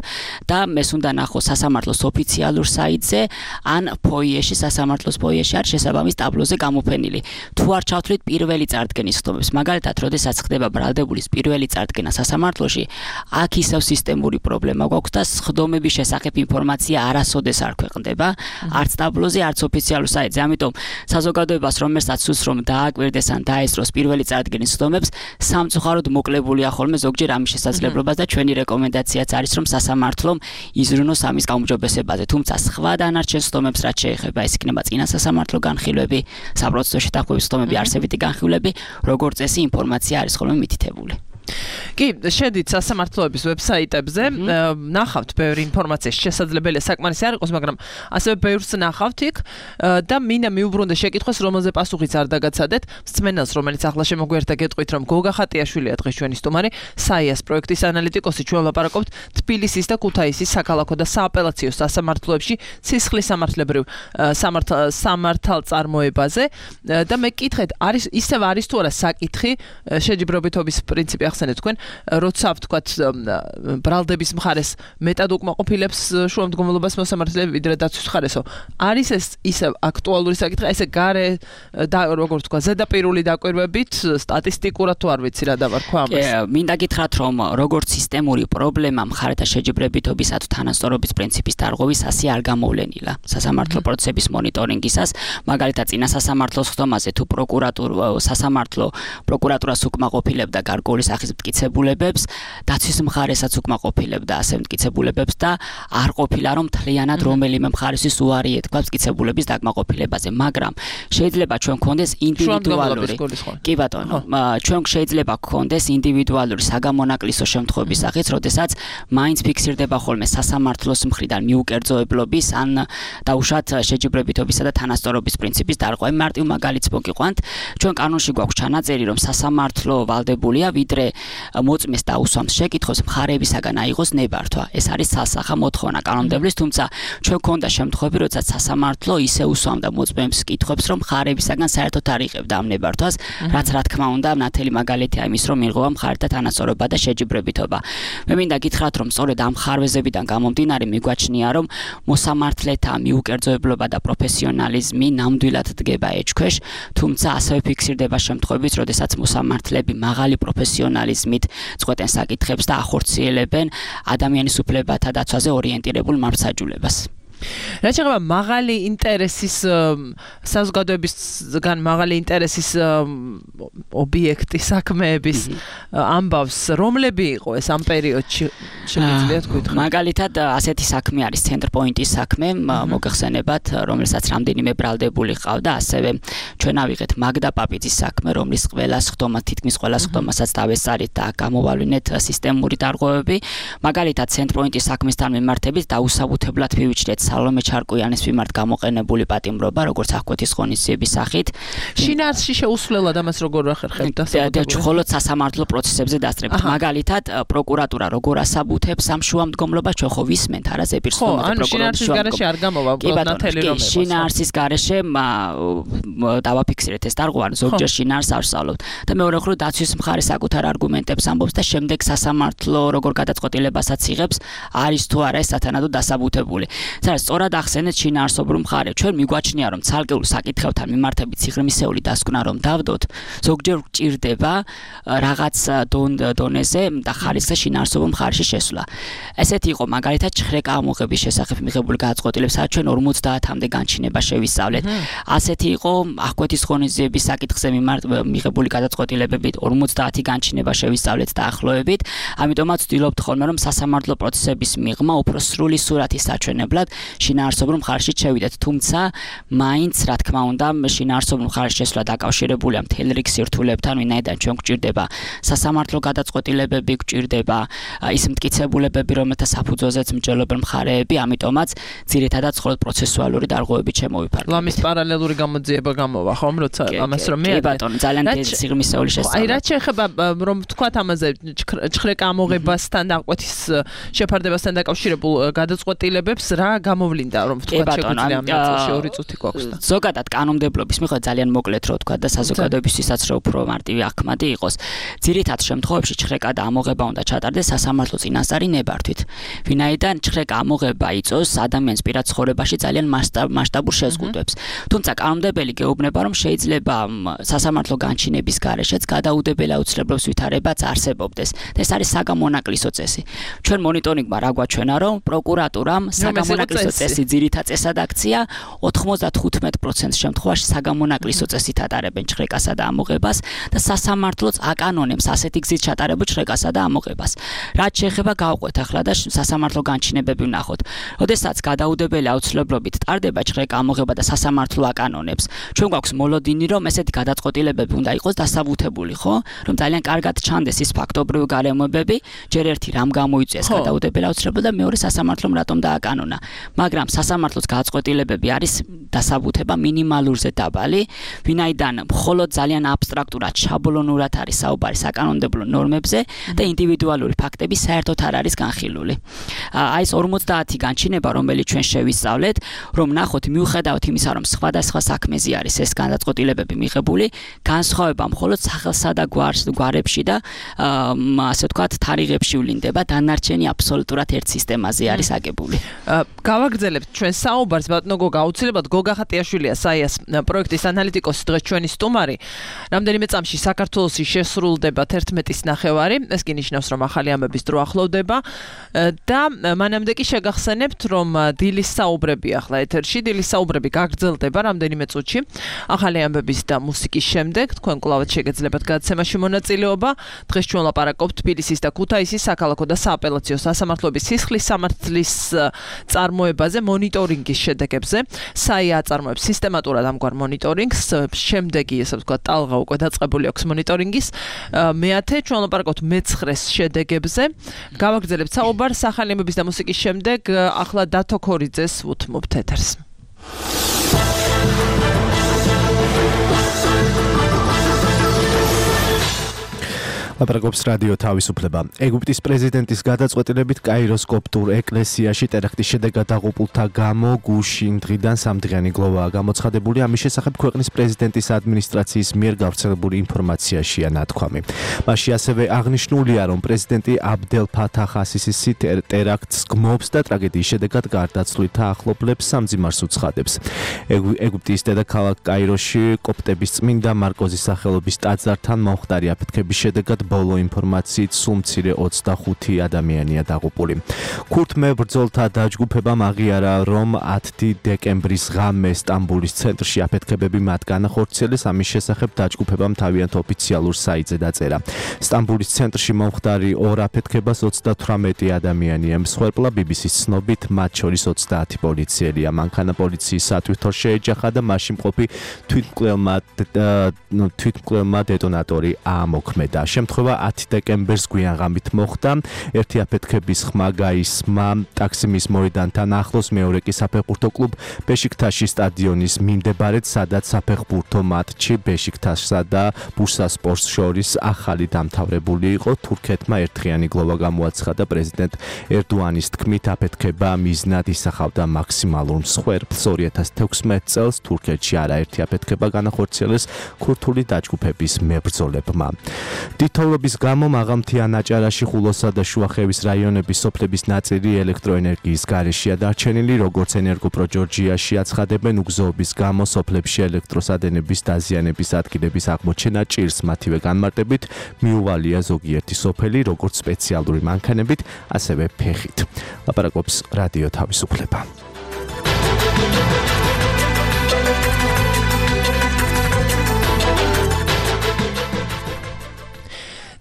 და მეს უნდა ნახოს სასამართლოს ოფიციალურ საიტზე ან ფოიეში, სასამართლოს ფოიეში არის შესაბამის ტაბლოზე გამოფენილი. თუ არ ჩავთვლით პირველი წარდგენის ხდომებს, მაგალითად, როდესაც ხდება ბრალდებულის პირველი წარდგენა სასამართლოში, აქ ისევ სისტემური პრობლემა გვაქვს და ხდომების შესახებ ინფორმაცია არასოდეს არ ქვეყნდება, არც ტაბლოზე, არც ოფიციალურ საიტზე. ამიტომ საზოგადოებას რომელსაც სურს რომ დააკვირდეს ან დაესწროს პირველი წარდგენის ხდომებს, სამწუხაროდ მოკლებულია ხოლმე ზოგჯერ ამის შესაძლებლობას და ჩვენი რეკომენდაციაც არის რომ სასამართლომ იზრუნოს ამის გაუმჯობესებაზე. თუმცა სხვა დანარჩენ ხდომებს რაც შეეხება, ეს იქნება წინა სასამართლო განხილვები, საპროცესო შეთანხმების ხდომები, არსებითი განხილვები, როგორც წესი ინფორმაცია არის ხოლმე მითითებული. კი, შედით სასამართლოების ვებსაიტებზე, ნახავთ ბევრი ინფორმაცია, შესაძლებელია საკმარისი არ იყოს, მაგრამ ასევე ბევრს ნახავთ იქ და მინდა მიუბრუნდე შეკითხვას, რომელზე პასუხიც არ დაგაცადეთ. მსმენელს, რომელიც ახლა შემოგვიერთდა, გეტყვით, რომ გოგა ხატიაშვილია დღეს ჩვენი სტუმარი, საიას პროექტის ანალიტიკოსი, ჩვენ ვლაპარაკობთ თბილისის და ქუთაისის საქალაქო და სააპელაციო სასამართლოებში სისხლის სამართლებრივ სამართალწარმოებაზე და მე კითხეთ, ისევ არის თუ არა საკითხი შეჯიბრობითობის პრინციპი ახსენეთ თქვენ, როცა ვთქვათ ბრალდების მხარეს მეტად უკმაყოფილებს შუამდგომლობას მოსამართლეები ვიდრე დაცვის მხარესო. არის ეს ისე აქტუალური საკითხი, ესე გარე და როგორ ვთქვა, ზედაპირული დაკვირვებით სტატისტიკურად თუ არ ვიცი რა დავარქვა ამას. მინდა გითხრათ, რომ როგორც სისტემური პრობლემა მხარეთა შეჯიბრებითობისა თუ თანასწორობის პრინციპის დარღვევის ასე არ გამოვლენილა სასამართლო პროცესების მონიტორინგისას, მაგალითად წინა სასამართლოს ხდომაზე თუ პროკურატურას უკმაყოფილებდა გარკვეული სახის მტკიცებულებებს, დაცვის მხარესაც უკმაყოფილებდა ასე მტკიცებულებებს და არ ყოფილა რომ მთლიანად რომელიმე მხარისთვის უარი ეთქვა მტკიცებულების დაკმაყოფილებაზე, მაგრამ შეიძლება ჩვენ გქონდეს ინდივიდუალური კი ბატონო, ჩვენ შეიძლება გქონდეს ინდივიდუალური საგამონაკლისო შემთხვევების სახით, როდესაც მაინც ფიქსირდება ხოლმე სასამართლოს მხრიდან მიუკერძოებლობის ან დაუშვათ შეჯიბრებითობისა და თანასწორობის პრინციპის დარღვევა. მარტივ მაგალითს მოგიყვანთ, ჩვენ კანონში გვაქვს ჩანაწერი, რომ სასამართლო ვალდებულია ვიდრე მოწმეს დაუსვამს შეკითხვას მხარეებისაგან აიღოს ნებართვა. ეს არის სასახა მოთხოვნა კანონმდებლის, თუმცა ჩვენ გქონდა შემთხვევები, როდესაც სასამართლო ისე უსვამდა მოწმეებს კითხვებს, რომ მხარეებისაგან საერთოდ არ იღებდა ამ ნებართვას, რაც რა თქმა უნდა ნათელი მაგალითია იმის, რომ ირღვევა მხარეთა თანასწორობა და შეჯიბრებითობა. მე მინდა გითხრათ, რომ სწორედ ამ ხარვეზებიდან გამომდინარე მიგვაჩნია, რომ მოსამართლეთა მიუკერძოებლობა და პროფესიონალიზმი ნამდვილად დგება ეჭქვეშ, თუმცა ასევე ფიქსირდება შემთხვევებიც, როდესაც მოსამართლეები მაღალი პროფესიონალიზმით წყვეტენ საკითხებს და ახორციელებენ ადამიანის უფლებათა დაცვაზე ორიენტირებულ მართლმსაჯულებას. რა შეიძლება მაღალი ინტერესის საზოგადოებისგან მაღალი ინტერესის ობიექტი საქმეების ამბავს რომლები იყო ეს ამ პერიოდში შეგიძლიათ გითხრათ? მაგალითად ასეთი საქმე არის ცენტრ პოინტის საქმე, მოგეხსენებათ, რომელსაც რამდენიმე ბრალდებული ყავდა, ასევე ჩვენ ავიღეთ მაგდა პაპიძის საქმე, რომლის თითქმის ყველას ხდომასაც დავესწარით და გამოვავლინეთ სისტემური დარღვევები. მაგალითად ცენტრ პოინტის საქმესთან მიმართებით დაუსაბუთებლად მივიჩნეთ სალომე ჩარკვიანის მიმართ გამოყენებული პატიმრობა, როგორც აღკვეთის ღონისძიების სახით. შინაარსში შეუსვლელად ამას როგორ ახერხებდა? მხოლოდ სასამართლო პროცესებზე დასწრებით. მაგალითად, პროკურატურა როგორ ასაბუთებს ამ შუამდგომლობას, ჩვენ ხო ვისმენთ არა ზეპირს ხომ პროკურატურის გარეშე არ გამოვა ნათელი რომ ეხოს. შინაარსის გარეშე დავაფიქსირეთ ეს დარღვევა, ზოგჯერ შინაარს არ ვსწავლობთ. და მეორე მხრივ დაცვის მხარე საკუთარ არგუმენტებს ამბობს და შემდეგ სასამართლო როგორ გადაწყვეტილებასაც იღებს, არის თუ არა ეს სათანადო დასაბუთებული. სწორად ახსენეთ შინაარსობრივ მხარე. ჩვენ მიგვაჩნია, რომ ცალკეულ საკითხებთან მიმართებით სიღრმისეული დასკვნა რომ დავდოთ, ზოგჯერ გჭირდება რაღაც დონეზე და ხარისხზე შინაარსობრივ მხარეში შესვლა. ესეთი იყო მაგალითად ჩხრეკა ამოღების შესახებ მიღებული გადაწყვეტილებაც ჩვენ 50-მდე განჩინება შევისწავლეთ. ასეთი იყო აღკვეთის ღონისძიების საკითხზე მიღებული გადაწყვეტილებებით 50 განჩინება შევისწავლეთ დაახლოებით. ამიტომაც ვცდილობთ ხოლმე რომ სასამართლო პროცესების მიღმა უფრო სრული სურათის საჩვენებლად შინაარსობრივ მხარეში შევიდეთ, თუმცა მაინც რა თქმა უნდა შინაარსობრივ მხარეში შესვლა დაკავშირებულია მთელ რიგ სირთულებთან, ვინაიდან ჩვენ გვჭირდება სასამართლო გადაწყვეტილებები, გვჭირდება ის მტკიცებულებები, რომელთა საფუძველზეც მსჯელობენ მხარეები, ამიტომაც ძირითადად მხოლოდ პროცესუალური დარღვევებით შემოვიფარგლეთ. ლამის პარალელური გამოძიება გამოვა, ხომ, როცა ამას რომ მე ბატონო, ძალიან დიდი სიღრმისეული შესწავლა. აი, რა შეიძლება რომ ვთქვათ ამაზე ჩხრეკა ამოღებასთან და აღკვეთის შეფარდებასთან დაკავშირებულ გადაწყვეტილებებს რა გამოვლინდა, რომ ვთქვათ შეგვიძლია ამ ნაწილში 2 წუთი გვაქვს და ზოგადად კანონმდებლობის მიხედვით ძალიან მოკლედ რო ვთქვათ და საზოგადოებისთვისაც რო უფრო მარტივი აღქმადი იყოს. ძირითად შემთხვევებში ჩხრეკა და ამოღება უნდა ჩატარდეს სასამართლო წინასწარი ნებართვით. ვინაიდან ჩხრეკა ამოღება იწვევს ადამიანის პირად ცხოვრებაში ძალიან მასშტაბურ შეზღუდვებს. თუმცა კანონმდებელი გეუბნება, რომ შეიძლება სასამართლო განჩინების გარეშეც გადაუდებელ აუცილებლობის ვითარებაც არსებობდეს. ეს არის საგამონაკლისო წესი. ჩვენ მონიტორინგმა რა გვაჩვენა, რომ პროკურატურამ საგამონაკლისო წესი ძირითად წესად აქცია 95% შემთხვევაში საგამონაკლისო წესით ატარებენ ჩხრეკასა და ამოღებას და სასამართლოც აკანონებს ასეთი გზით ჩატარებულ ჩხრეკასა და ამოღებას. რაც შეეხება გავყვეთ ახლა და სასამართლო განჩინებები ვნახოთ. როდესაც გადაუდებელი აუცილებლობით ტარდება ჩხრეკა ამოღება და სასამართლო აკანონებს, ჩვენ გვაქვს მოლოდინი, რომ ესეთი გადაწყვეტილებები უნდა იყოს დასაბუთებული, ხო? რომ ძალიან კარგად ჩანდეს ის ფაქტობრივი გარემოებები, ჯერ ერთი რამ გამოიწვიეს გადაუდებელი აუცილებლობა და მეორე სასამართლომ რატომ დააკანონა. მაგრამ სასამართლოს გადაწყვეტილებები არის დასაბუთება მინიმალურზე დაბალი, ვინაიდან მხოლოდ ძალიან აბსტრაქტურად, შაბლონურად არის საუბარი საკანონმდებლო ნორმებზე და ინდივიდუალური ფაქტები საერთოდ არ არის განხილული. Აი ეს 50 განჩინება, რომელიც ჩვენ შევისწავლეთ, რომ ნახოთ მიუხედავად იმისა, რომ სხვადასხვა საქმეზე არის ეს გადაწყვეტილებები მიღებული, განსხვავება მხოლოდ სახელსა და გვარებში და ასე ვთქვათ, თარიღებში ვლინდება, დანარჩენი აბსოლუტურად ერთ სისტემაზე არის აგებული. გავაგრძელებთ ჩვენ საუბარს, ბატონო გოგა, აუცილებლად გოგა ხატიაშვილია, საიას პროექტის ანალიტიკოსი, დღეს ჩვენი სტუმარი. რამდენიმე წამში საქართველოში შესრულდება 11-ის ნახევარი, ეს კი ნიშნავს, რომ ახალი ამბების დრო ახლოვდება და მანამდე კი შეგახსენებთ, რომ დილის საუბრები ახლა ეთერში, დილის საუბრები გაგრძელდება რამდენიმე წუთში. ახალი ამბების და მუსიკის შემდეგ თქვენ კვლავ შეგეძლებათ გადაცემაში მონაწილეობა. დღეს ჩვენ ლაპარაკობთ თბილისის და ქუთაისის საქალაქო და სააპელაციო სასამართლოების სისხლის სამართლის წარმოებაზე, მონიტორინგის შედეგებზე. საია აწარმოებს სისტემატურად ამგვარ მონიტორინგს, შემდეგი, ესე ვთქვათ, ტალღა უკვე დაწყებული აქვს მონიტორინგის. მეათე ჩვენ ლაპარაკობთ მე-9-ის შედეგებზე. გავაგრძელებთ საუბარს ახალი ამბების და მუსიკის შემდეგ, ახლა დათო ქორიძეს უთმობთ ეთერს. ლაპარაკობს რადიო თავისუფლება. ეგვიპტის პრეზიდენტის გადაწყვეტილებით კაიროს კოპტურ ეკლესიაში ტერაქტის შედეგად დაღუპულთა გამო გუშინ დღიდან 3-დღიანი გლოვაა გამოცხადებული. ამის შესახებ ქვეყნის პრეზიდენტის ადმინისტრაციის მიერ გავრცელებული ინფორმაციაშია ნათქვამი. მასში ასევე აღნიშნულია, რომ პრეზიდენტი აბდელ ფათახ ასისისი ტერაქტს გმობს და ტრაგედიის შედეგად გარდაცვლილთა ახლობლებს სამძიმარს უცხადებს. ეგვიპტის დედაქალაქ კაიროში კოპტების წმინდა მარკოზის სახელობის ტაძართან მომხდარი აფეთქების შედეგად ბოლო ინფორმაციით სულ მცირე 25 ადამიანია დაღუპული. ქურთ მებრძოლთა დაჯგუფებამ აღიარა, რომ 10 დეკემბრის ღამე სტამბოლის ცენტრში აფეთქებები მათ განახორციელეს. ამის შესახებ დაჯგუფებამ თავიანთ ოფიციალურ საიტზე დაწერა. სტამბოლის ცენტრში მომხდარი ორ აფეთქებას 38 ადამიანი ემსხვერპლა. BBC-ს ცნობით, მათ შორის 30 პოლიციელია. მანქანა პოლიციის სათვითორ შეეჯახა და მასში მყოფი თვითმკვლელმა დეტონატორი აამოქმედა. შემთხვევა 10 დეკემბერს გვიანღამით მოხდა. ერთი აფეთქების ხმა გაისმა ტაქსიმის მოედანთან ახლოს, მეორე კი საფეხბურთო კლუბ ბეშიქტაშის სტადიონის მიმდებარედ, სადაც საფეხბურთო მატჩი ბეშიქტაშსა და ბურსასპორტს შორის ახალი დამთავრებული იყო. თურქეთმა ერთდღიანი გლოვა გამოაცხადა. პრეზიდენტ ერდოანის თქმით, აფეთქება მიზნად ისახავდა მაქსიმალურ მსხვერპლს. 2016 წელს თურქეთში არაერთი აფეთქება განახორციელეს ქურთული დაჯგუფების მებრძოლებმა. თითოეულობის გამო მაღალმთიან აჭარაში, ხულოსა და შუახევის რაიონების სოფლების ნაწილი ელექტროენერგიის გარეშეა დარჩენილი. როგორც ენერგოპროჯორჯიაში აცხადებენ, უგზოობის გამო სოფლებში ელექტროსადენების დაზიანების ადგილების აღმოჩენა ჭირს. მათივე განმარტებით მიუვალია ზოგიერთი სოფელი, როგორც სპეციალური მანქანებით, ასევე ფეხით. ლაპარაკობს რადიო თავისუფლება.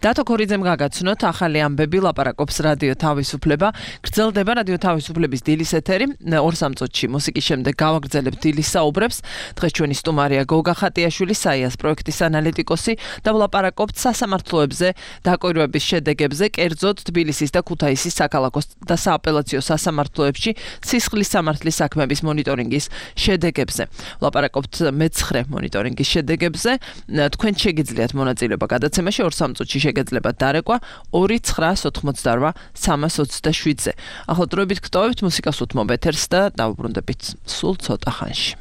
დათო ქორიძემ გაგაცნოთ ახალი ამბები, ლაპარაკობს რადიო თავისუფლება. გრძელდება რადიო თავისუფლების დილის ეთერი. 2-3 წუთში მუსიკის შემდეგ გავაგრძელებთ დილის საუბრებს. დღეს ჩვენი სტუმარია გოგა ხატიაშვილი, საიას პროექტის ანალიტიკოსი და ვლაპარაკობთ სასამართლოებზე, დაკვირვების შედეგებზე, კერძოდ თბილისის და ქუთაისის საქალაქო და სააპელაციო სასამართლოებში სისხლის სამართლის საქმეების მონიტორინგის შედეგებზე. ვლაპარაკობთ მე-9 მონიტორინგის შედეგებზე. თქვენ შეგიძლიათ მონაწილეობა გადაცემაში 2-3 წუთში შეგეძლებათ დარეკვა 298-327-ზე. ახლა დროებით გტოვებთ მუსიკას უთმობ ეთერს და დავუბრუნდებით სულ ცოტა ხანში.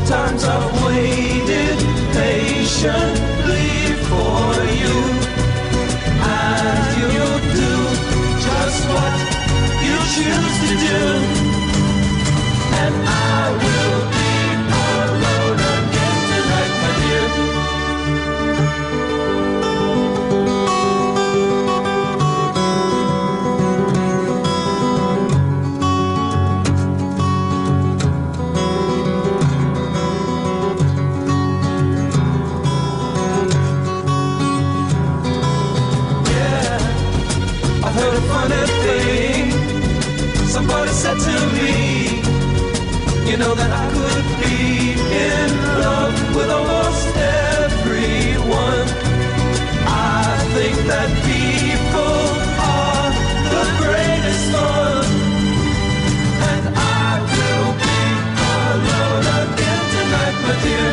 Times I've waited patiently for you, and you'll do just what you choose to do, and I will be alone again tonight, my dear. You know that I could be in love with almost everyone. I think that people are the greatest fun. And I will be alone again tonight, my dear.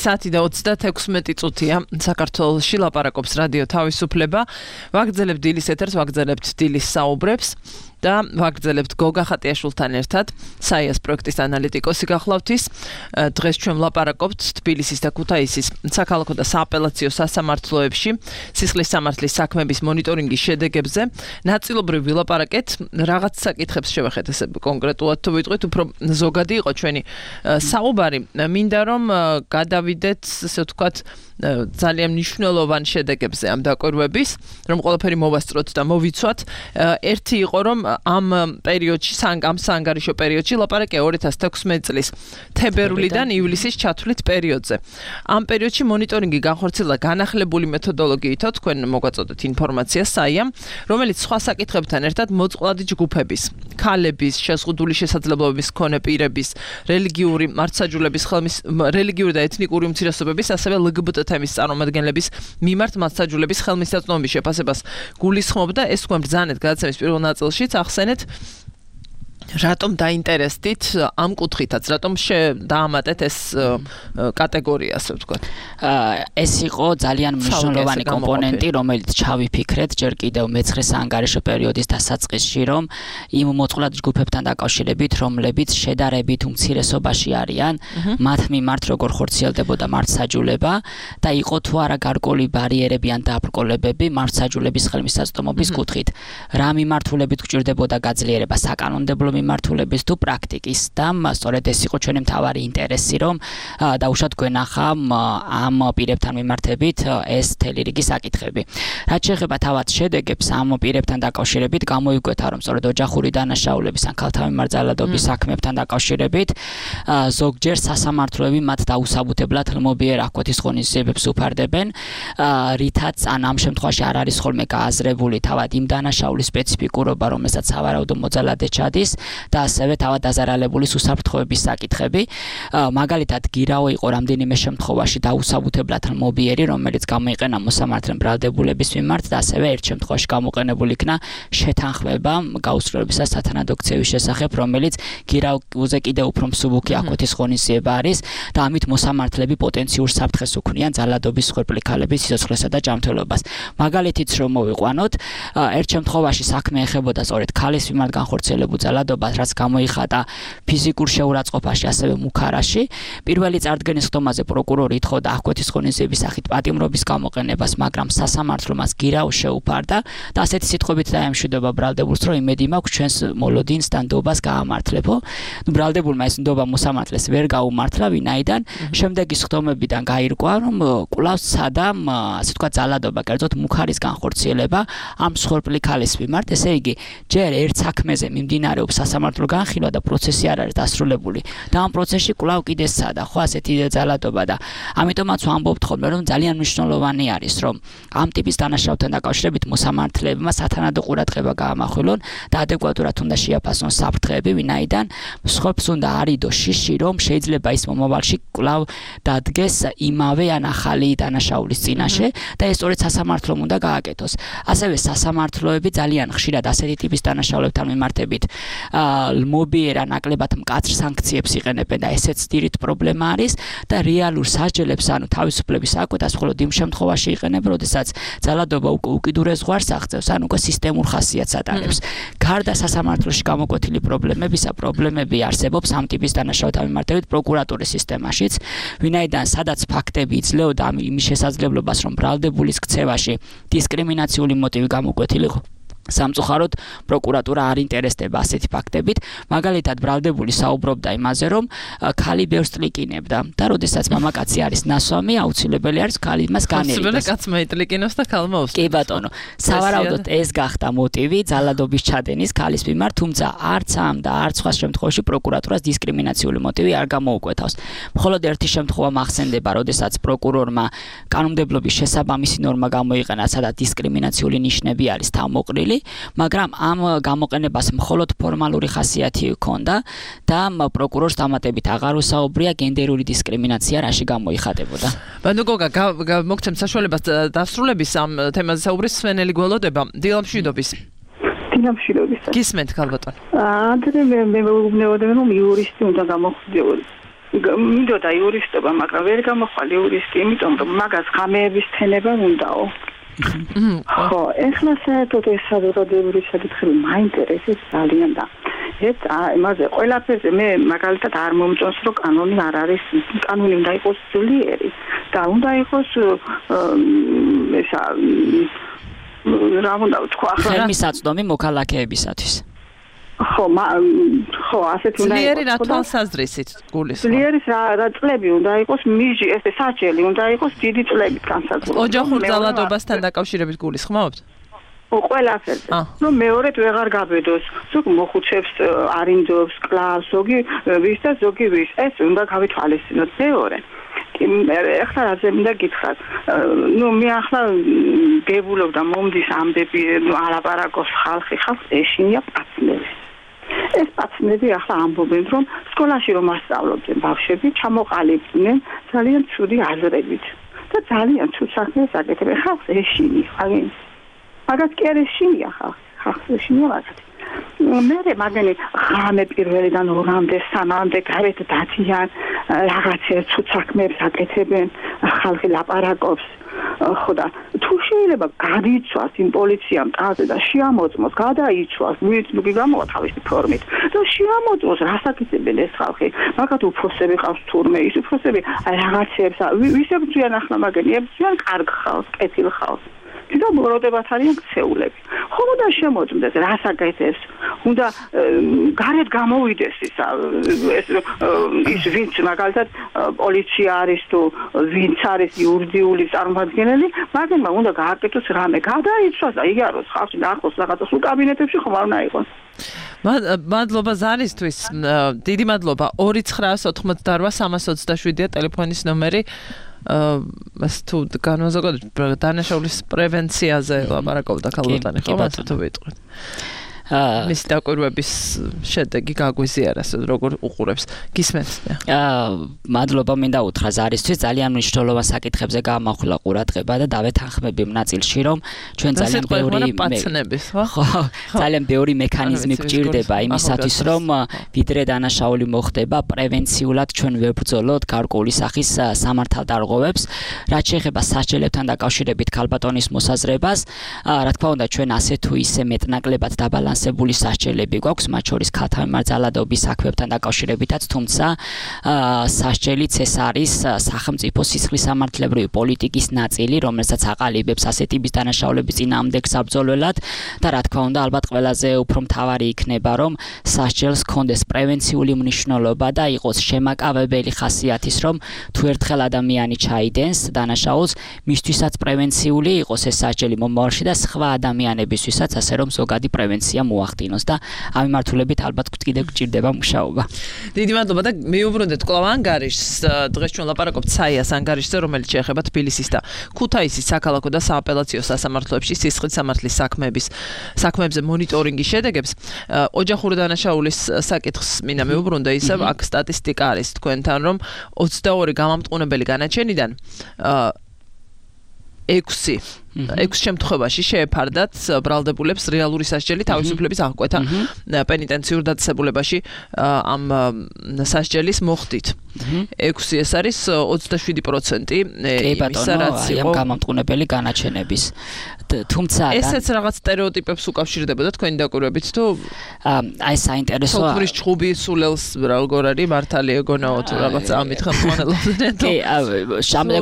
საათი და 36 წუთია საქართველოში ლაპარაკობს რადიო თავისუფლება. ვაგრძელებთ დილის ეთერს, ვაგრძელებთ დილის საუბრებს და ვაგრძელებთ გოგა ხატიაშვილთან ერთად, საიას პროექტის ანალიტიკოსი გახლავთ ის. დღეს ჩვენ ვლაპარაკობთ თბილისის და ქუთაისის საქალაქო და სააპელაციო სასამართლოებში სისხლის სამართლის საქმების მონიტორინგის შედეგებზე. ნაწილობრივ ვილაპარაკეთ, რაღაც საკითხებს შევეხეთ ესე კონკრეტულად თუ ვიტყვით, უფრო ზოგადი იყო ჩვენი საუბარი. მინდა რომ გადავიდეთ, ასე ვთქვათ, ძალიან მნიშვნელოვან შედეგებზე ამ დაკვირვების, რომ ყველაფერი მოვასწროთ და მოვიცვათ. ერთი იყო, რომ ამ პერიოდში, ამ საანგარიშო პერიოდში ლაპარაკია 2016 წლის თებერვლიდან ივლისის ჩათვლით პერიოდზე. ამ პერიოდში მონიტორინგი განხორციელდა განახლებული მეთოდოლოგიით, თქვენ მოგვაწოდეთ ინფორმაცია საიამ, რომელიც სხვა საკითხებთან ერთად მოწყვლადი ჯგუფების, ქალების, შეზღუდული შესაძლებლობების მქონე პირების, რელიგიური რელიგიური და ეთნიკური უმცირესობების, ასევე LGBT თემის წარმომადგენლების მიმართ მასაჯულების ხელმისაწვდომობის შეფასებას გულისხმობდა. ეს თქვენ ბრძანეთ გადაცემის პირველ ნაწილშიც ახსენეთ. რატომ დაინტერესდით ამ კუთხითაც, რატომ დაამატეთ ეს კატეგორია, ასე ვთქვათ? ეს იყო ძალიან მნიშვნელოვანი კომპონენტი, რომელიც ჩავიფიქრეთ ჯერ კიდევ მეცხრე საანგარიშო პერიოდის დასაწყისში, რომ იმ მოწყვლად ჯგუფებთან დაკავშირებით, რომლებიც შედარებით უმცირესობაში არიან, მათ მიმართ როგორ ხორციელდებოდა მართსაჯულება და იყო თუ არა გარკვეული ბარიერები ან დაბრკოლებები მართსაჯულების ხელმისაწვდომობის კუთხით. რა მიმართულებით გჭირდებოდა გაძლიერება საკანონმდებლო მიმართულების თუ პრაქტიკის და სწორედ ეს იყო ჩვენი მთავარი ინტერესი, რომ დაუშვათ გვენახა ამ პირებთან მიმართებით ეს მთელი რიგი საკითხები. რაც შეეხება თავად შედეგებს ამ პირებთან დაკავშირებით, გამოიკვეთა, რომ სწორედ ოჯახური დანაშაულების ან ქალთა მიმართ ძალადობის საქმებთან დაკავშირებით ზოგჯერ სასამართლოები მათ დაუსაბუთებლად ელმობიერ აკოთის ღონისძიებებს უფარდებენ, რითაც ან ამ შემთხვევაში არ არის ხოლმე გააზრებული თავად იმ დანაშაულის სპეციფიკურობა, რომელსაც სავარაუდო მოძალადე ჩადის და ასევე თავად დაზარალებული უსაფრთხოების საკითხები. მაგალითად, გირაო იყო რამდენიმე შემთხვევაში დაუსაბუთებლად ელმობიერი, რომელიც გამოიყენა მოსამართლე ბრალდებულების მიმართ და ასევე ერთ შემთხვევაში გამოყენებული იქნა შეთანხმება გაუსრულებისა სათანადო ქცევის შესახებ, რომელიც გირაოზე კიდევ უფრო მსუბუქი აკოთის ღონისძიება არის და ამით მოსამართლეები პოტენციურ საფრთხეს უქმნიან ძალადობის მსხვერპლი ქალების სიცოცხლესა და ჯანმრთელობას. მაგალითიც რომ მოვიყვანოთ, ერთ შემთხვევაში საქმე ეხებოდა სწორედ ქალის მიმართ განხორციელებულ ძალადობას ძალადობას, რაც გამოიხატა ფიზიკურ შეურაცხყოფაში, ასევე მუქარაში. პირველი წარდგენის ხდომაზე პროკურორი ითხოვდა აღკვეთის ღონისძიების სახით პატიმრობის გამოყენებას, მაგრამ სასამართლო მას გირაოს შეუფარდა და ასეთი სიტყვებით დაემშვიდობა ბრალდებულს, რომ იმედი მაქვს ჩვენს მოლოდინს და ნდობას გაამართლებო. ბრალდებულმა ეს ნდობა მოსამართლეს ვერ გაუმართლა, ვინაიდან შემდეგი ხდომებიდან გაირკვა, რომ კვლავ სცადა, ასე თქვა, ძალადობა, კერძოდ მუქარის განხორციელება ამ მსხვერპლი ქალის მიმართ. ესე იგი, ჯერ ერთ საქმეზე მიმდინარეობს სასამართლო განხილვა და პროცესი არ არის დასრულებული და ამ პროცესში კვლავ კიდე სცადა, ხო, ასეთი ძალადობა და ამიტომაც ვამბობთ ხოლმე, რომ ძალიან მნიშვნელოვანი არის, რომ ამ ტიპის დანაშაულთან დაკავშირებით მოსამართლეებმა სათანადო ყურადღება გაამახვილონ და ადეკვატურად უნდა შეაფასონ საფრთხეები, ვინაიდან მსხვერპლს უნდა არიდო შიში, რომ შეიძლება ის მომავალში კვლავ დადგეს იმავე ან ახალი დანაშაულის წინაშე და ეს სწორედ სასამართლომ უნდა გააკეთოს. ასევე სასამართლოები ძალიან ხშირად ასეთი ტიპის დანაშაულებთან მიმართებით მობიერა ნაკლებად მკაცრ სანქციებს იყენებენ და ესეც ძირით პრობლემა არის და რეალურ სასჯელებს, ანუ თავისუფლების საკვეთას მხოლოდ იმ შემთხვევაში იყენებენ, როდესაც ძალადობა უკიდურეს ზღვარს აღწევს, ან უკვე სისტემურ ხასიათს ატარებს. გარდა სასამართლოში გამოკვეთილი პრობლემები არსებობს ამ ტიპის დანაშაულთან მიმართებით პროკურატურის სისტემაშიც, ვინაიდან სადაც ფაქტები იძლეოდა იმის შესაძლებლობას, რომ ბრალდებულის ქცევაში დისკრიმინაციული მოტივი გამოკვეთილიყო. სამწუხაროდ პროკურატურა არ ინტერესდება ასეთი ფაქტებით, მაგალითად ბრალდებული საუბრობდა იმაზე, რომ ქალი ბევრს ტლიკინებდა და როდესაც მამაკაცი არის ნასვამი, აუცილებელი არის ქალი მას განერიდოს. აუცილებელი კაცმა იტლიკინოს და ქალმა უსწრებს. კი ბატონო, სავარაუდოდ ეს გახდა მოტივი ძალადობის ჩადენის ქალის მიმართ, თუმცა არც ამ და არც სხვა შემთხვევაში პროკურატურას დისკრიმინაციული მოტივი არ გამოუკვეთავს. მხოლოდ ერთი შემთხვევა მახსენდება, როდესაც პროკურორმა კანონმდებლობის შესაბამისი ნორმა გამოიყენა, სადაც დისკრიმინაციული ნიშნები არის თავმოყრილი, მაგრამ ამ გამოყენებას მხოლოდ ფორმალური ხასიათი ჰქონდა და პროკურორს დამატებით აღარ უსაუბრია გენდერული დისკრიმინაცია რაში გამოიხატებოდა. ბანუ გოგა, მოგცემ საშუალებას დასრულების ამ თემაზე საუბრის სვენელი გველოდება. დილამშვიდობის. დილამშვიდობის. გისმენთ ქალბატონ. ანდრე მე ვუბნეოდე რომ იურისტი უნდა გამოხდიოდეს. მინდოდა იურისტობა, მაგრამ ვერ გამოხვალ იურისტი, იმიტომ რომ მაგას ღამეების თენება უნდაო. ხო, ეხლა საერთოდ ეს საზოგადოებრივი საკითხები მაინტერესებს ძალიან და ეს იმაზე ყველაფერზე მე მაგალითად არ მომწონს, რომ კანონი არ არის, კანონი უნდა იყოს ძლიერი და უნდა იყოს ესა რა უნდა ვთქვა ახლა ხელმისაწვდომი მოქალაქეებისათვის. ხო, ასეთი უნდა იყოს. ძლიერი რა თვალსაზრისით გულისხმობ? ძლიერი რა წლები უნდა იყოს, მიჟი, ეს საჭელი უნდა იყოს დიდი წლებით განსაზღვრული. ოჯახურ ძალადობასთან დაკავშირებით გულისხმობთ? ყველაფერზე. რომ მეორედ ვეღარ გაბედოს. ზოგ მოხუცებს არინძობს, კლავს, ზოგი ვის და ზოგი ვის. ეს უნდა გავითვალისწინოთ მეორე. ეხლა რაზე მინდა გითხრათ. მე ახლა გებულობ და მომდის ამბები, ალაპარაკობს ხალხი ეშინია პაცნები. ეს პაცნები ახლა ამბობენ, რომ სკოლაში რომ ასწავლობდნენ ბავშვები, ჩამოყალიბდნენ ძალიან ცუდი აზრებით და ძალიან ცუდ საქმეს აკეთებენ. ხალხს ეშინი, აგენ. მაგას კი არ ეშინია ხალხს ეშინია მაგას. მე მაგენი ღამე პირველიდან ორამდე, სამამდე გარეთ დადიან, რაღაცა ცუდ საქმეებს აკეთებენ, ხალხი ლაპარაკობს. ხო და თუ შეიძლება გადაიცვას იმ პოლიციამ ტაზე და შეამოწმოს, გადაიცვას, ვიწმი გამოვა თავისი ფორმით და შეამოწმოს, რას აკეთებენ ეს ხალხი. მაგათ უფროსები ყავს თურმე, ის უფროსები რაღაცებს, ვისებ ძვიან ახლა მაგენი, ძვიან კარგ ხალხს, კეთილ ხალხს. და მოროდებათ არიან ქცეულები. ხომ უნდა შემოწმდეს, რას აკეთებს. უნდა გარეთ გამოვიდეს ის ვინც მაგალითად პოლიცია არის თუ ვინც არის იურიდიული წარმომადგენელი, მაგენმა უნდა გააკეთოს რამე, გადაიცვას და იგაროს ხალხი ნახოს რაღაცა სულ კაბინეტებში ხომ არ უნდა იყოს. მადლობა ზარისთვის. დიდი მადლობა. 2988327-ია ტელეფონის ნომერი. თუ განმაზოგადოთ დანაშაულის პრევენციაზე ლაპარაკობდა ქალბატონი, ხო, მათო თუ ვიტყვით. მის დაკვირვების შედეგი გაგვიზიარა, როგორ უყურებს. გისმენთ? მადლობა მინდა უთხრა ზარისთვის, ძალიან მნიშვნელოვან საკითხებზე გაამახვილა ყურადღება და დავეთანხმები იმ ნაწილში, რომ ჩვენ ძალიან ბევრი მექანიზმი გვჭირდება იმისათვის, რომ ვიდრე დანაშაული მოხდება, პრევენციულად ჩვენ ვებრძოლოთ გარკვეული სახის სამართალდარღვევებს, რაც შეეხება სასჯელებთან დაკავშირებით ქალბატონის მოსაზრებას, რა თქმა უნდა ჩვენ ასე თუ ისე მეტნაკლებად დაბალანსებთ დაწესებული სასჯელები გვაქვს, მათ შორის ქალთა მიმართ ძალადობის საქმეებთან დაკავშირებითაც, თუმცა სასჯელიც ეს არის სახელმწიფო სისხლისამართლებრივი პოლიტიკის ნაწილი, რომელსაც აყალიბებს ასეთი დანაშაულების წინააღმდეგ საბრძოლველად და რა თქმა უნდა, ალბათ ყველაზე უფრო მთავარი იქნება, რომ სასჯელს ჰქონდეს პრევენციული მნიშვნელობა და იყოს შემაკავებელი ხასიათის, რომ თუ ერთხელ ადამიანი ჩაიდენს დანაშაულს, მისთვისაც პრევენციული იყოს ეს სასჯელი მომავალში და სხვა ადამიანებისთვისაც, ასე რომ ზოგადი პრევენცია მოახდინოს და ამ მიმართულებით ალბათ კიდევ გჭირდება მუშაობა. დიდი მადლობა და მიუბრუნდეთ კვლავ ანგარიშს. დღეს ჩვენ ლაპარაკობთ საიას ანგარიშზე, რომელიც შეეხება თბილისის და ქუთაისის საქალაქო და სააპელაციო სასამართლოებში სისხლისამართლის საქმეებზე მონიტორინგის შედეგებს. ოჯახური დანაშაულის საკითხს მინდა მეუბრუნდე, ისევ აქ სტატისტიკა არის თქვენთან, რომ 22 გამამტყუნებელი განაჩენიდან 6 შემთხვევაში შეეფარდათ ბრალდებულებს რეალური სასჯელი თავისუფლების აღკვეთა პენიტენციურ დაწესებულებაში ამ სასჯელის მოხდით. 6 ეს არის 27% იმისა, რაც იყო გამამტყუნებელი განაჩენების. თუმცა ესეც რაღაც სტერეოტიპებს უკავშირდებოდა თქვენი დაკვირვებით თუ აი საინტერესოა. სოფლის ჩხუბი სულელს როგორ არის მართალი ეგონაო თუ რაღაც ამით ხელმძღვანელობდნენ. კი, ამ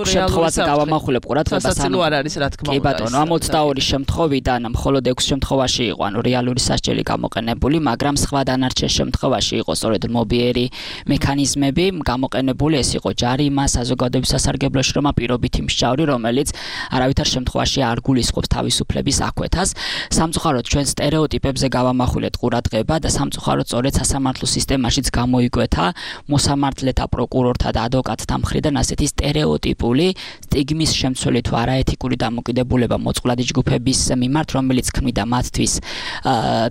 შემთხვევაში გავამახვილებ ყურადღებას. სასაცილო არ არის რა თქმა უნდა. ბატონო, ამ 22 შემთხვევიდან მხოლოდ 6 შემთხვევაში იყო რეალური სასჯელი გამოყენებული, მაგრამ სხვა დანარჩენ შემთხვევაში იყო სწორედ მობიერი მექანიზმები გამოყენებული, ეს იყო ჯარიმა, საზოგადოების სასარგებლო შრომა, პირობითი მსჯავრი, რომელიც არავითარ შემთხვევაში არ გულისხმობს თავისუფლების აღკვეთას. სამწუხაროდ ჩვენ სტერეოტიპებზე გავამახვილეთ ყურადღება და სამწუხაროდ სწორედ სასამართლო სისტემაშიც გამოიკვეთა მოსამართლეთა, პროკურორთა და ადვოკატთა მხრიდან ასეთი სტერეოტიპული სტიგმის შემცველი თუ არაეთიკური დამოკიდებულება მოწყვლადი ჯგუფების მიმართ, რომელიც ქმნიდა მათთვის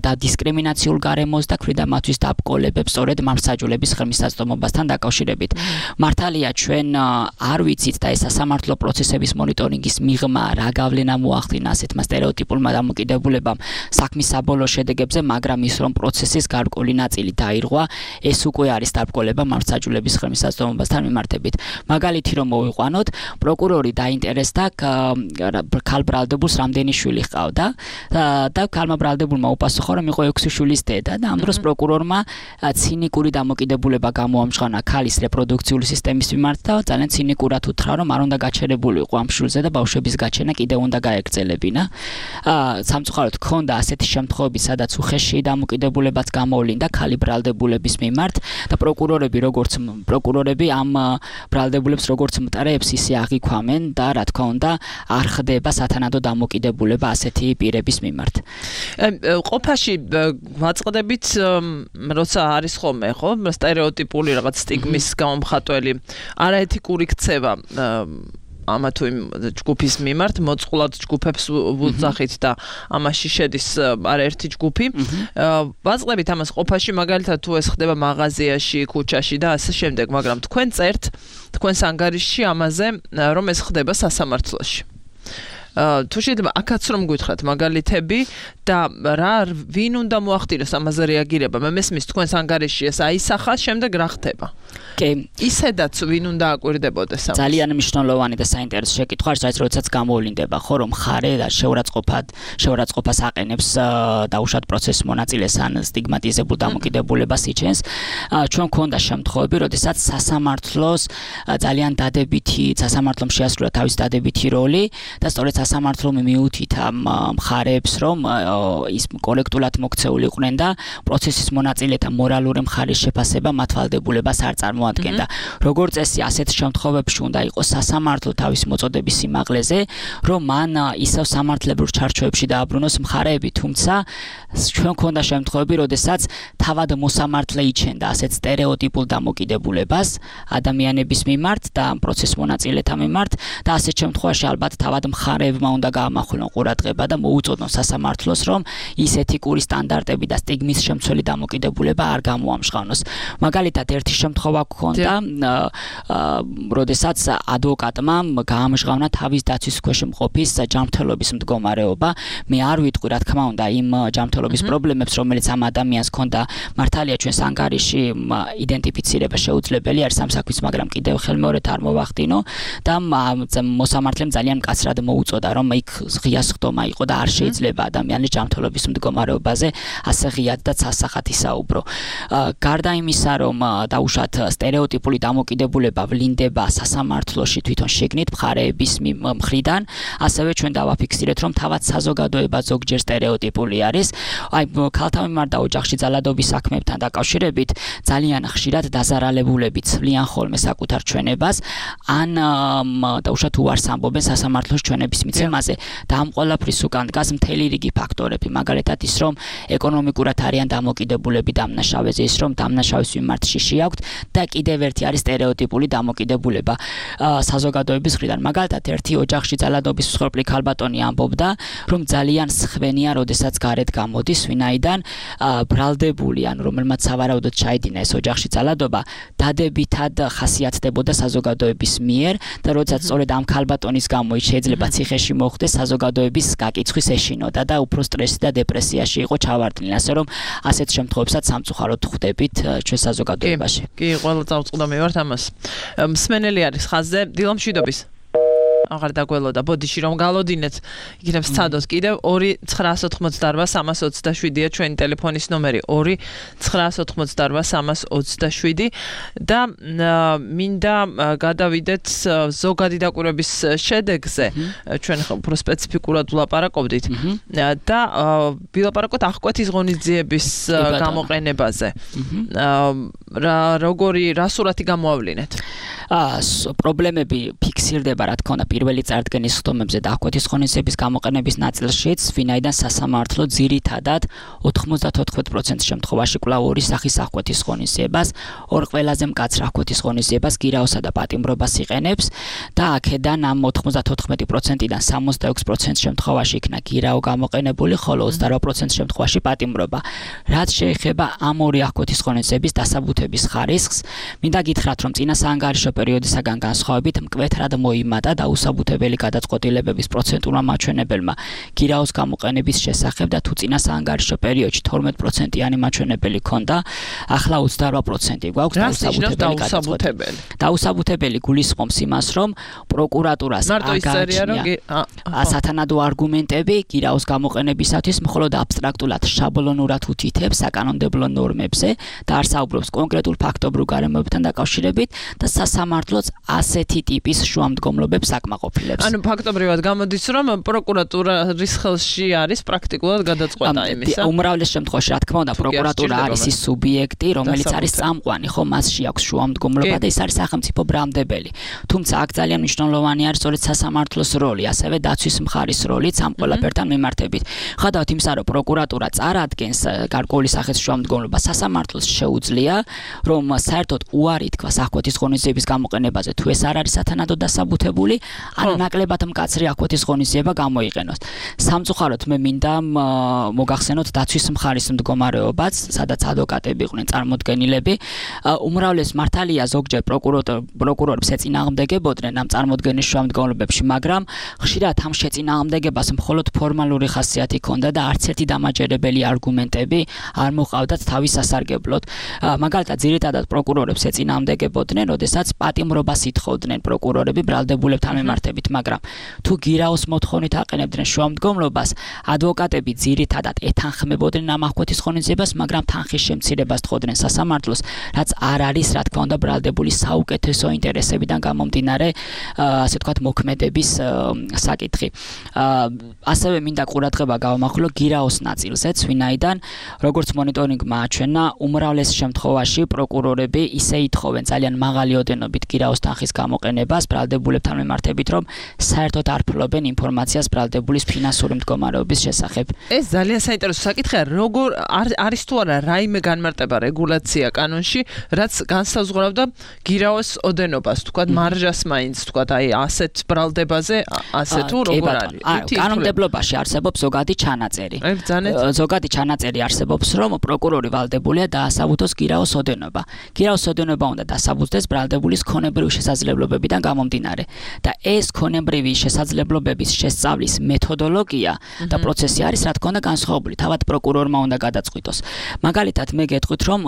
და დისკრიმინაციულ გარემოს და ქმნიდა მათთვის დაბკოლებებს სწორედ მართლმსაჯულების ხელმისაწვდომობასთან დაკავშირებით. მართალია ჩვენ არ ვიცით და ეს სასამართლო პროცესების მონიტორინგის მიღმა რა გავლენა მოახდინა ასეთმა სტერეოტიპულმა დამოკიდებულებამ საქმის საბოლოო შედეგებზე, მაგრამ ის რომ პროცესის გარკვეული ნაწილი დაირღვა, ეს უკვე არის დაბკოლება მართლმსაჯულების ხელმისაწვდომობასთან მიმართებით. მაგალითი რომ მოვიყვანოთ, პროკურორი დაინტერესდა ქალ ბრალდებულს რამდენი შვილი ჰყავდა და ქალმა ბრალდებულმა უპასუხა, რომ იყო 6 შვილის დედა და ამ დროს პროკურორმა ცინიკური დამოკიდებულება გამოამჟღავნა ქალის რეპროდუქციული სისტემის მიმართ და ძალიან ცინიკურად უთხრა, რომ არ უნდა გაჩერებულიყო ამ შვილზე და ბავშვების გაჩენა კიდევ უნდა გაეგრძელებინა. სამწუხაროდ ჰქონდა ასეთი შემთხვევები, სადაც უხეში დამოკიდებულებაც გამოვლინდა ქალი ბრალდებულების მიმართ და პროკურორები ამ ბრალდებულებს როგორც მტრეებს ისე აღიქვამენ და რა თქმა უნდა არ ხდება სათანადო დამოკიდებულება ასეთი პირების მიმართ. ყოფაში ვაწყდებით, როცა არის ხოლმე, ხო, სტერეოტიპული რაღაც სტიგმის გამომხატველი, არაეთიკური ქცევა ამა თუ იმ ჯგუფის მიმართ, მოწყვლად ჯგუფებს ვუძახით და ამაში შედის არაერთი ჯგუფი. ვაწყდებით ამას ყოფაში, მაგალითად თუ ეს ხდება მაღაზიაში, ქუჩაში და ასე შემდეგ, მაგრამ თქვენ წერთ თქვენს ანგარიშში ამაზე, რომ ეს ხდება სასამართლოში. თუ შეიძლება აქაც რომ გითხრათ მაგალითები და ვინ უნდა მოახდინოს ამაზე რეაგირება. მე მესმის თქვენს ანგარიშში ეს აისახა, შემდეგ რა ხდება? კი, ისედაც ვინ უნდა აკვირდებოდეს ამას? ძალიან მნიშვნელოვანი და საინტერესო შეკითხვა, როდესაც გამოვლინდება, ხო, რომ მხარე და შეურაცხყოფას აყენებს დაუშვათ პროცესის მონაწილეს ან სტიგმატიზებულ დამოკიდებულებას იჩენს. ჩვენ გვქონდა შემთხვევები, როდესაც სასამართლოს ძალიან სასამართლომ შეასრულა თავის დადებითი როლი და სწორედ სასამართლომ მიუთითა მხარეებს, რომ ის კორექტულად მოქცეული იყვნენ და პროცესის მონაწილეთა მორალური მხარის შეფასება მათ ვალდებულებას არ წარმოადგენდა. როგორც წესი, ასეთ შემთხვევებში უნდა იყოს სასამართლო თავის მოწოდების სიმაღლეზე, რომ მან ისევ სამართლებრივ ჩარჩოებში დააბრუნოს მხარეები, თუმცა ჩვენ გვქონდა შემთხვევები, როდესაც თავად მოსამართლე იჩენდა ასეთ სტერეოტიპულ დამოკიდებულებას ადამიანების მიმართ და პროცესის მონაწილეთა მიმართ და ასეთ შემთხვევაში ალბათ თავად მხარეებმა უნდა გაამახვილონ ყურადღება და მოუწოდონ სასამართლოს, რომ ის ეთიკური სტანდარტები და სტიგმის შემცველი დამოკიდებულება არ გამოამჟღავნოს. მაგალითად, ერთი შემთხვევა გქონდა, როდესაც ადვოკატმა გაამჟღავნა თავის დაცვის ქვეშ მყოფის ჯანმრთელობის მდგომარეობა. მე არ ვიტყვი, რა თქმა უნდა, იმ ჯანმრთელობის პრობლემებს, რომელიც ამ ადამიანს ჰქონდა. მართალია ჩვენს ანგარიში იდენტიფიცირება შეუძლებელი არის ამ საქმის, მაგრამ კიდევ ხელმეორედ არ მოვახდინო და მოსამართლემ ძალიან მკაცრად მოუწოდა იწოდა რომ იქ ღია სხდომა იყო და არ შეიძლება ადამიანის ჯანმრთელობის მდგომარეობაზე ასე ღიად და ცასახად ისაუბრო. გარდა იმისა რომ დაუშვათ სტერეოტიპული დამოკიდებულება ვლინდება სასამართლოში თვითონ შეგნით მხარეების მხრიდან, ასევე ჩვენ დავაფიქსირეთ რომ თავად საზოგადოება ზოგჯერ სტერეოტიპული არის. აი ქალთა მიმართ და ოჯახში ძალადობის საქმეებთან დაკავშირებით ძალიან ხშირად დაზარალებულები ცვლიან ხოლმე საკუთარ ჩვენებას ან დაუშვათ უარს ამბობენ სასამართლოს ჩვენების მიცემაზე და ამ ყველაფრის უკან დგას მთელი რიგი ფაქტორები, მაგალითად ის რომ ეკონომიკურად არიან დამოკიდებულები დამნაშავეზე, ის რომ დამნაშავის მიმართ შიში აქვთ და კიდევ ერთი არის სტერეოტიპული დამოკიდებულება საზოგადოების მხრიდან. მაგალითად ერთი ოჯახში ძალადობის მსხვერპლი ქალბატონი ამბობდა რომ ძალიან სხვენია როდესაც გარეთ გამოდის, ვინაიდან ბრალდებული ან რომელმაც სავარაუდოდ ჩაიდინა ეს ოჯახში ძალადობა დადებითად ხასიათდებოდა საზოგადოების მიერ და როდესაც სწორედ ამ ქალბატონის გამო შეიძლება ციხეში მოხვდეს, საზოგადოების გაკიცხვის ეშინოდა და უფრო სტრესი და დეპრესიაში იყო ჩავარდნილი, ასე რომ ასეთ შემთხვევებსაც სამწუხაროდ ხვდებით ჩვენ საზოგადოებაში. კი, ყველა წავწყდა მე ვარ ამას. მსმენელი არის ხაზზე, დილა მშვიდობის. აღარ დაგველოდა ბოდიში რომ გალოდინეთ იქნებ სცადოს კიდევ 2-988-327-ია ჩვენი ტელეფონის ნომერი 2-988-327 და მინდა გადავიდეთ ზოგადი დაკვირვების შედეგზე ჩვენ უფრო სპეციფიკურად ვლაპარაკობდით და ვილაპარაკოთ აღკვეთის ღონისძიების გამოყენებაზე რა სურათი გამოავლინეთ პრობლემები ფიქსირდება რა თქმა უნდა პირველი წარდგენის ხდომებზე და აღკვეთის ღონისძიების გამოყენების ნაწილშიც, ვინაიდან სასამართლო ძირითადად 94% შემთხვევაში კვლავ ორი სახის აღკვეთის ღონისძიებას, ორ ყველაზე მკაცრ აღკვეთის ღონისძიებას გირაოსა და პატიმრობას იყენებს და აქედან ამ 94%-დან 66% შემთხვევაში იქნა გირაო გამოყენებული, ხოლო 28% შემთხვევაში პატიმრობა. რაც შეეხება ამ ორი აღკვეთის ღონისძიების დასაბუთების ხარისხს, მინდა გითხრათ, რომ წინა საანგარიშო პერიოდისაგან განსხვავებით მკვეთრად მოიმატა დაუსაბუთებელი გადაწყვეტილებების პროცენტულმა მაჩვენებელმა გირაოს გამოყენების შესახებ და თუ წინა საანგარიშო პერიოდში 12%-იანი მაჩვენებელი ჰქონდა, ახლა 28% გვაქვს დაუსაბუთებელი. დაუსაბუთებელი გულისხმობს იმას, რომ პროკურატურას აგარჩია სათანადო არგუმენტები გირაოს გამოყენებისათვის, მხოლოდ აბსტრაქტულად შაბლონურად უთითებს საკანონმდებლო ნორმებზე და არ საუბრობს კონკრეტულ ფაქტობრივ გარემოებთან დაკავშირებით და სასამართლოც ასეთი ტიპის შუამდგომლობებს აკმაყოფილებს. ანუ ფაქტობრივად გამოდის, რომ პროკურატურის ხელში არის პრაქტიკულად გადაწყვეტა იმისა. უმრავლეს შემთხვევაში, რა თქმა უნდა, პროკურატურა არის ის სუბიექტი, რომელიც არის წამყვანი, ხო, მასში აქვს შუამდგომლობა და ის არის სახელმწიფო ბრალმდებელი. თუმცა აქ ძალიან მნიშვნელოვანი არის სწორედ სასამართლოს როლი, ასევე დაცვის მხარის როლიც ამ ყველაფერთან მიმართებით. ხედავთ იმისა, რომ პროკურატურა წარადგენს გარკვეული სახის შუამდგომლობას, სასამართლოს შეუძლია, რომ საერთოდ უარი თქვას აღკვეთის ღონისძიების გამოყენებაზე, თუ ეს არ არის სათანადო დასაბუთებული, ან ნაკლებად მკაცრი აღკვეთის ღონისძიება გამოიყენოს. სამწუხაროდ მე მინდა მოგახსენოთ დაცვის მხარის მდგომარეობაც, სადაც ადვოკატები იყვნენ წარმოდგენილები. უმრავლეს მართალია ზოგჯერ პროკურორებს ეწინააღმდეგებოდნენ ამ წარმოდგენის შუამდგომლობებში, მაგრამ ხშირად ამ შეწინააღმდეგებას მხოლოდ ფორმალური ხასიათი ჰქონდა და არც ერთი დამაჯერებელი არგუმენტები არ მოყავდათ თავის სასარგებლოდ. მაგალითად, ძირითადად პროკურორებს ეწინააღმდეგებოდნენ, როდესაც პატიმრობას ითხოვდნენ პროკურორები ბრალდებულებთან მიმართებით, მაგრამ თუ გირაოს მოთხოვნით აყენებდნენ შუამდგომლობას, ადვოკატები ძირითადად ეთანხმებოდნენ ამ აღკვეთის ღონისძიებას, მაგრამ თანხის შემცირებას თხოვდნენ სასამართლოს, რაც არ არის, რა თქმა უნდა, ბრალდებული საუკეთესო ინტერესებიდან გამომდინარე, ასე ვთქვათ, მოქმედების საკითხი. ასევე მინდა ყურადღება გავამახვილო გირაოს ნაწილზეც, ვინაიდან როგორც მონიტორინგმა აჩვენა, უმრავლეს შემთხვევაში პროკურორები ისე ითხოვენ ძალიან მაღალი ოდენობით გირაოს თანხის გამოყენებას ბრალდებულებთან მიმართებით, რომ საერთოდ არ ფლობენ ინფორმაციას ბრალდებულის ფინანსური მდგომარეობის შესახებ. ეს ძალიან საინტერესო საკითხია, როგორ არის თუ არა რაიმე განმარტება რეგულაცია კანონში, რაც განსაზღვრავდა გირაოს ოდენობას, თქვათ მარჟას მაინც, თქვათ აი ასეთ ბრალდებაზე, ასე თუ როგორ არის? კანონმდებლობაში არსებობს ზოგადი ჩანაწერი. ზოგადი ჩანაწერი არსებობს, რომ პროკურორი ვალდებულია დაასაბუთოს გირაოს ოდენობა. გირაოს ოდენობა უნდა დასაბუთდეს ბრალდებულის ქონებრივი შესაძლებლობებიდან გამომდინარე და ეს ქონებრივი შესაძლებლობების შესწავლის მეთოდოლოგია და პროცესი არის რა თქმა უნდა განსხვავებული. თავად პროკურორმა უნდა გადაწყვიტოს. მაგალითად მე გეტყვით რომ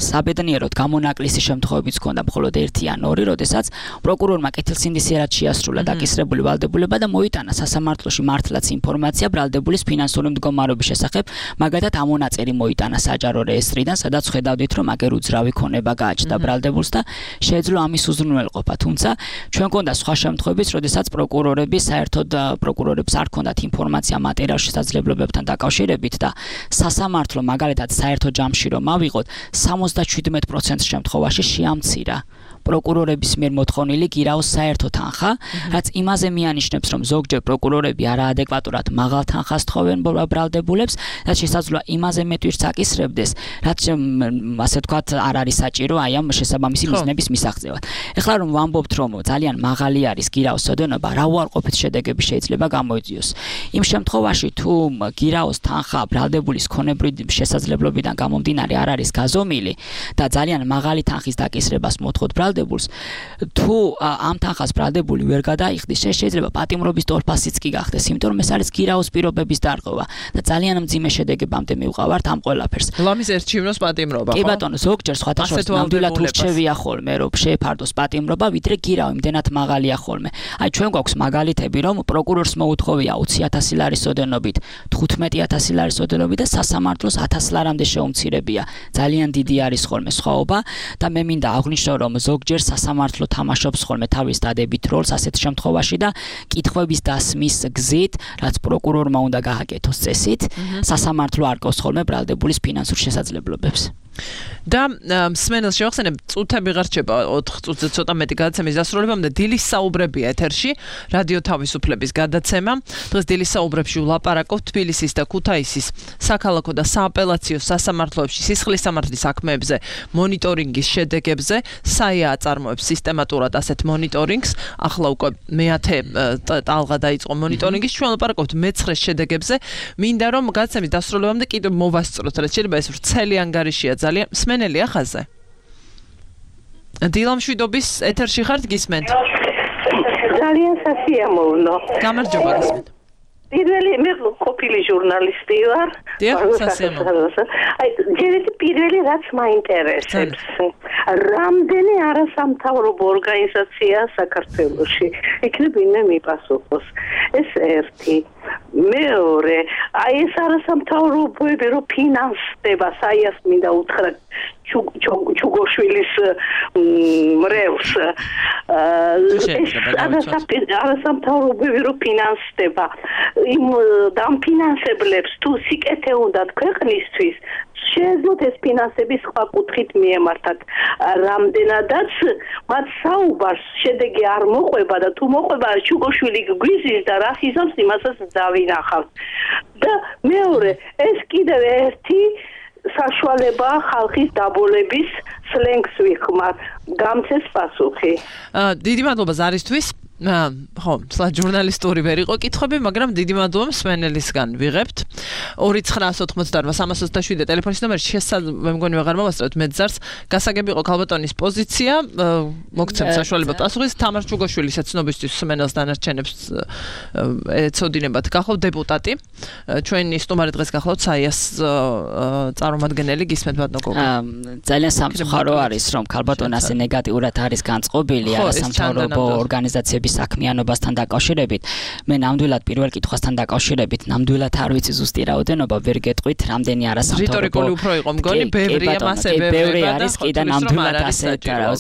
საბედნიეროდ გამონაკლისი შემთხვევებიც ქონდა მხოლოდ 1 ან 2, როდესაც პროკურორმა კეთილსინდისიერად შეასრულა დაკისრებული ვალდებულება და მოიტანა სასამართლოში მართლაც ინფორმაცია ბრალდებულის ფინანსური მდგომარეობის შესახებ, მაგალითად ამონაწერი მოიტანა საჯარო რეესტრიდან, სადაც ხედავდით რომ აგერ უძრავი ქონება გააჩნდა ბრალდებულს და შეეძლო ამის უზრუნველყოფა. თუმცა ჩვენ გქონდა სხვა შემთხვევებიც, როდესაც პროკურორებს არ ჰქონდათ ინფორმაცია მატერიალურ შესაძლებლობებთან დაკავშირებით და სასამართლო მაგალითად საერთო ჯამში რომ ავიღოთ 77% შემთხვევაში შეამცირა პროკურორების მიერ მოთხოვნილი გირაოს საერთო თანხა, რაც იმაზე მიანიშნებს, რომ ზოგჯერ პროკურორები არაადეკვატურად მაღალ თანხას თხოვენ ბრალდებულებს და შესაძლოა იმაზე მეტ ვირს აკისრებდეს, რაც ასე ვთქვათ არ არის საჭირო აი ამ შესაბამისი მიზნების მისაღწევად. ეხლა რომ ვამბობთ, რომ ძალიან მაღალი არის გირაოს ოდენობა, რა უარყოფით შედეგები შეიძლება გამოიწვიოს. იმ შემთხვევაში თუ გირაოს თანხა ბრალდებულის ქონებრივი შესაძლებლობიდან გამომდინარე არ არის გაზომილი და ძალიან მაღალი თანხის დაკისრებას მოთხოვთ თუ ამ თანხას ბრალდებული ვერ გადაიხდის, შეიძლება პატიმრობის თორფასიც კი გახდეს, იმიტომ რომ ეს არის გირაოს პირობების დარღვევა და ძალიან მძიმე შედეგებამდე მივყავართ ამ ყველაფერს. ლამის ერჩივნოს პატიმრობა, ხო? კი ბატონო, ზოგჯერ სხვათა შორის ნამდვილად ურჩევია ხოლმე, რომ შეეფარდოს პატიმრობა, ვიდრე გირაო იმდენად მაღალია ხოლმე. აი ჩვენ გვაქვს მაგალითები, რომ პროკურორს მოუთხოვია 20,000 ლარის ოდენობით, 15,000 ლარის ოდენობით და სასამართლოს 1,000 ლარამდე შეუმცირებია. ძალიან დიდი არის ხოლმე სხვაობა და მე მინდა აღვნიშნო, რომ ზოგჯერ სასამართლო თამაშობს ხოლმე თავის დადებით როლს ასეთ შემთხვევაში და კითხვების დასმის გზით, რაც პროკურორმა უნდა გააკეთოს წესით, სასამართლო არკავს ხოლმე ბრალდებულის ფინანსურ შესაძლებლობებს. და მსმენელს შევახსენებ, წუთები ღარჩება 4 წუთზე ცოტა მეტი გადაცემის დასრულებამდე. დილის საუბრებია ეთერში, რადიო თავისუფლების გადაცემა. დღეს დილის საუბრებში ვლაპარაკობთ თბილისის და ქუთაისის საქალაქო და სააპელაციო სასამართლოებში სისხლის სამართლის საქმეებზე მონიტორინგის შედეგებზე. საია აწარმოებს სისტემატურად ასეთ მონიტორინგს. ახლა უკვე მე-10 ტალღა დაიწყო მონიტორინგის. ჩვენ ვლაპარაკობთ მე-9 შედეგებზე. მინდა რომ გადაცემის დასრულებამდე კიდევ მოვასწროთ, რაც შეიძლება ეს ვრცელი ანგარიშია ძალიან. მსმენელია ხაზზე. დილამშვიდობის ეთერში ხართ, გისმენთ? ძალიან სასიამოვნო. გამარჯობა, გისმენთ. პირველი მე ყოფილი ჟურნალისტი ვარ. აი, პირველი რაც მაინტერესებს. რამდენი არასამთავრობო ორგანიზაცია საქართველოში. იქნებ ვინმე მიპასუხოს. ეს ერთი. მეორე, აი ეს არასამთავრობოები რო ფინანსდება, საიას მინდა უთხრა ჩუგოშვილის მრევლს. ეს არასამთავრობოები რო ფინანსდება, იმ დამფინანსებლებს თუ სიკეთე უნდათ ქვეყნისთვის, შეეძლოთ ეს ფინანსები სხვა კუთხით მიემართათ. რამდენადაც მათ საუბარს შედეგი არ მოყვება და თუ მოყვება ჩუგოშვილი გვიზის და რა იზამს იმასაც დავინახავთ. და მეორე, ეს კიდევ ერთი საშუალება ხალხის დაბოლების სლენგს ვიხმარ. გამცეს პასუხი. დიდი მადლობა ზარისთვის. ხო, ჟურნალისტური ვერ იყო კითხვები, მაგრამ დიდი მადლობა მსმენელისგან ვიღებთ. 2988327 ტელეფონის ნომერი მე მგონი ვეღარ მოვასწრებთ მეძარს. გასაგები იყო ქალბატონის პოზიცია, მოგცემ საშუალება პასუხის. თამარ ჩუგოშვილის ცნობისთვის მსმენელს დანარჩენებს ეცოდინებათ. გახლავთ დეპუტატი. ჩვენი სტუმარი დღეს გახლავთ საიას წარმომადგენელი, გისმენთ ბატონო გოგო. ძალიან სამწუხარო არის, რომ ქალბატონი ასე ნეგატიურად არის განწყობილი არასამთავრობო ორგანიზაციების საქმიანობასთან დაკავშირებით. მე ნამდვილად პირველ კითხვასთან დაკავშირებით ნამდვილად არ ვიცი ზუსტი რაოდენობა, ვერ გეტყვით, რამდენი არასამთავრობო. რიტორიკული უფრო იყო მგონი, ბევრია მასე ბევრი არის კი და ნამდვილად ასე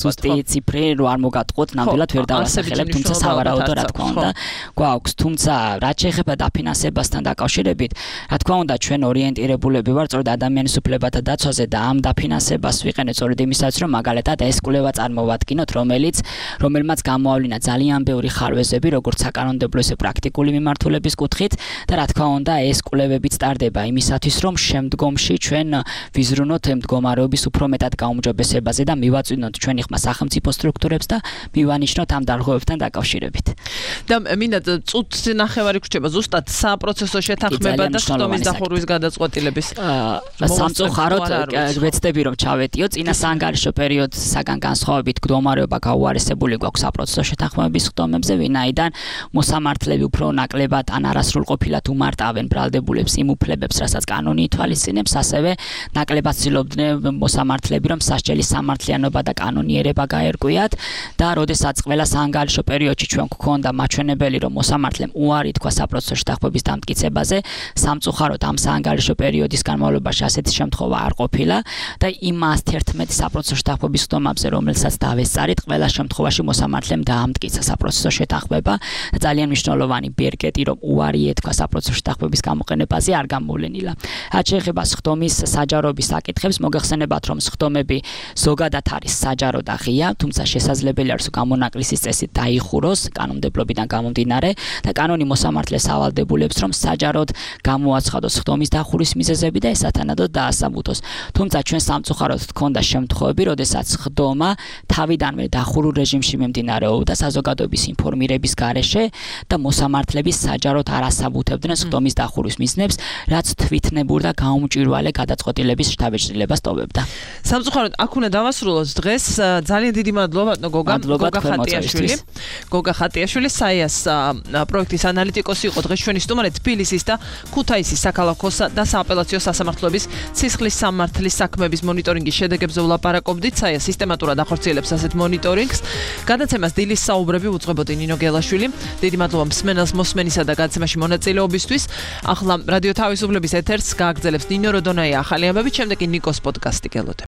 ზუსტი ციფრი რო არ მოგატყუოთ, ნამდვილად ვერ დავასახელებ, თუმცა სავარაუდო რა თქმა უნდა გვაქვს. თუმცა რაც შეეხება დაფინანსებასთან დაკავშირებით, რა თქმა უნდა ჩვენ ორიენტირებულები ვართ სწორედ ადამიანის უფლებათა დაცვაზე და ამ დაფინანსებას ვიყენეთ სწორედ იმისათვის, რომ მაგალითად ეს კვლევა წარმოვადგინოთ, რომელმაც გამოავლინა ძალიან ბევრი ხარვეზები, როგორც საკანონმდებლო, ისე პრაქტიკული მიმართულების კუთხით და რა თქმა უნდა, ეს კვლევებიც ტარდება იმისათვის, რომ შემდგომში ჩვენ ვიზრუნოთ მდგომარეობის უფრო მეტად გაუმჯობესებაზე და მივაწვინოთ ჩვენი ხმა სახელმწიფო სტრუქტურებს და მივანიშნოთ ამ დარღვევებთან დაკავშირებით. და მინდა წუთს ნახევარი გრჩება ზუსტად საპროცესო შეთანხმება და სხდომის დახურვის გადაწყვეტილების სამწუხაროდ ვეცდები რომ ჩავეტიო წინა საანგარიშო პერიოდსაგან განსხვავებით მდგომარეობა გაუარესებული გვაქვს საპროცესო შეთანხმებების სხდომებზე, ვინაიდან მოსამართლეები უფრო ნაკლებად ან არასრულყოფილად უმარტავენ ბრალდებულებს იმ უფლებებს, რასაც კანონი ითვალისწინებს, ასევე ნაკლებად ცდილობდნენ მოსამართლეები რომ სასჯელის სამართლიანობა და კანონიერება გაერკვიათ და როდესაც ყველა საანგარიშო პერიოდში ჩვენ გვქონდა მაჩვენებელი რომ მოსამართლემ უარი თქვა საპროცესო შეთანხმების დამტკიცებაზე, სამწუხაროდ ამ საანგარიშო პერიოდის განმავლობაში ასეთი შემთხვევა არ ყოფილა და იმ 111 საპროცესო შეთანხმების სხდომებზე, რომელსაც დავესწარით, ყველა შემთხვევაში მოსამართლემ დაამტკიცა საპროცესო შეთანხმება და ძალიან მნიშვნელოვანი ბერკეტი რომ უარი ეთქვა საპროცესო შეთანხმების გამოყენებაზე არ გამოვლენილა. რაც შეეხება სხდომის საჯაროების საკითხებს, მოგეხსენებათ რომ სხდომები ზოგადად არის საჯარო და ღია, თუმცა შესაძლებელი არის გამონაკლისის წესით დაიხუროს კანონმდებლობიდან გამომდინარე და კანონი მოსამართლეს ავალდებულებს რომ საჯაროდ გამოაცხადოს სხდომის დახურვის მიზეზები და ესათანადოდ დაასაბუთოს. თუმცა ჩვენ სამწუხაროდ გქონდა შემთხვევები, როდესაც სხდომა თავიდანვე დახურულ რეჟიმში მიმდინარეობდა საზოგადოების ინფორმირების გარეშე და მოსამართლეები საჯაროდ არ ასაბუთებდნენ სხდომის დახურვის მიზნებს, რაც თვითნებურ და გაუმჭვირვალე გადაწყვეტილების შთაბეჭდილებას ტოვებდა. სამწუხაროდ აქ უნდა დავასრულოთ დღეს. ძალიან დიდი მადლობა ხატიაშვილი. გოგა ხატიაშვილი საიას პროექტის ანალიტიკოსი იყო დღეს ჩვენი სტუმარი, თბილისის და ქუთაისის საქალაქოსა და სააპელაციო სასამართლოების სისხლის სამართლის საქმეების მონიტორინგის შედეგებზე ვლაპარაკობდით. საია სისტემატურად ახორციელებს ასეთ მონიტორინგს. გადაცემას დილის საუბრები უძღვებოდი ნინო გელაშვილი. დიდი მადლობა მსმენელს მოსმენისა და გადაცემაში მონაწილეობისთვის. ახლა რადიო თავისუფლების ეთერს გააგრძელებს ნინო როდონაია ახალი ამბებით, შემდეგ კი ნიკოს პოდკასტი გელოდებით.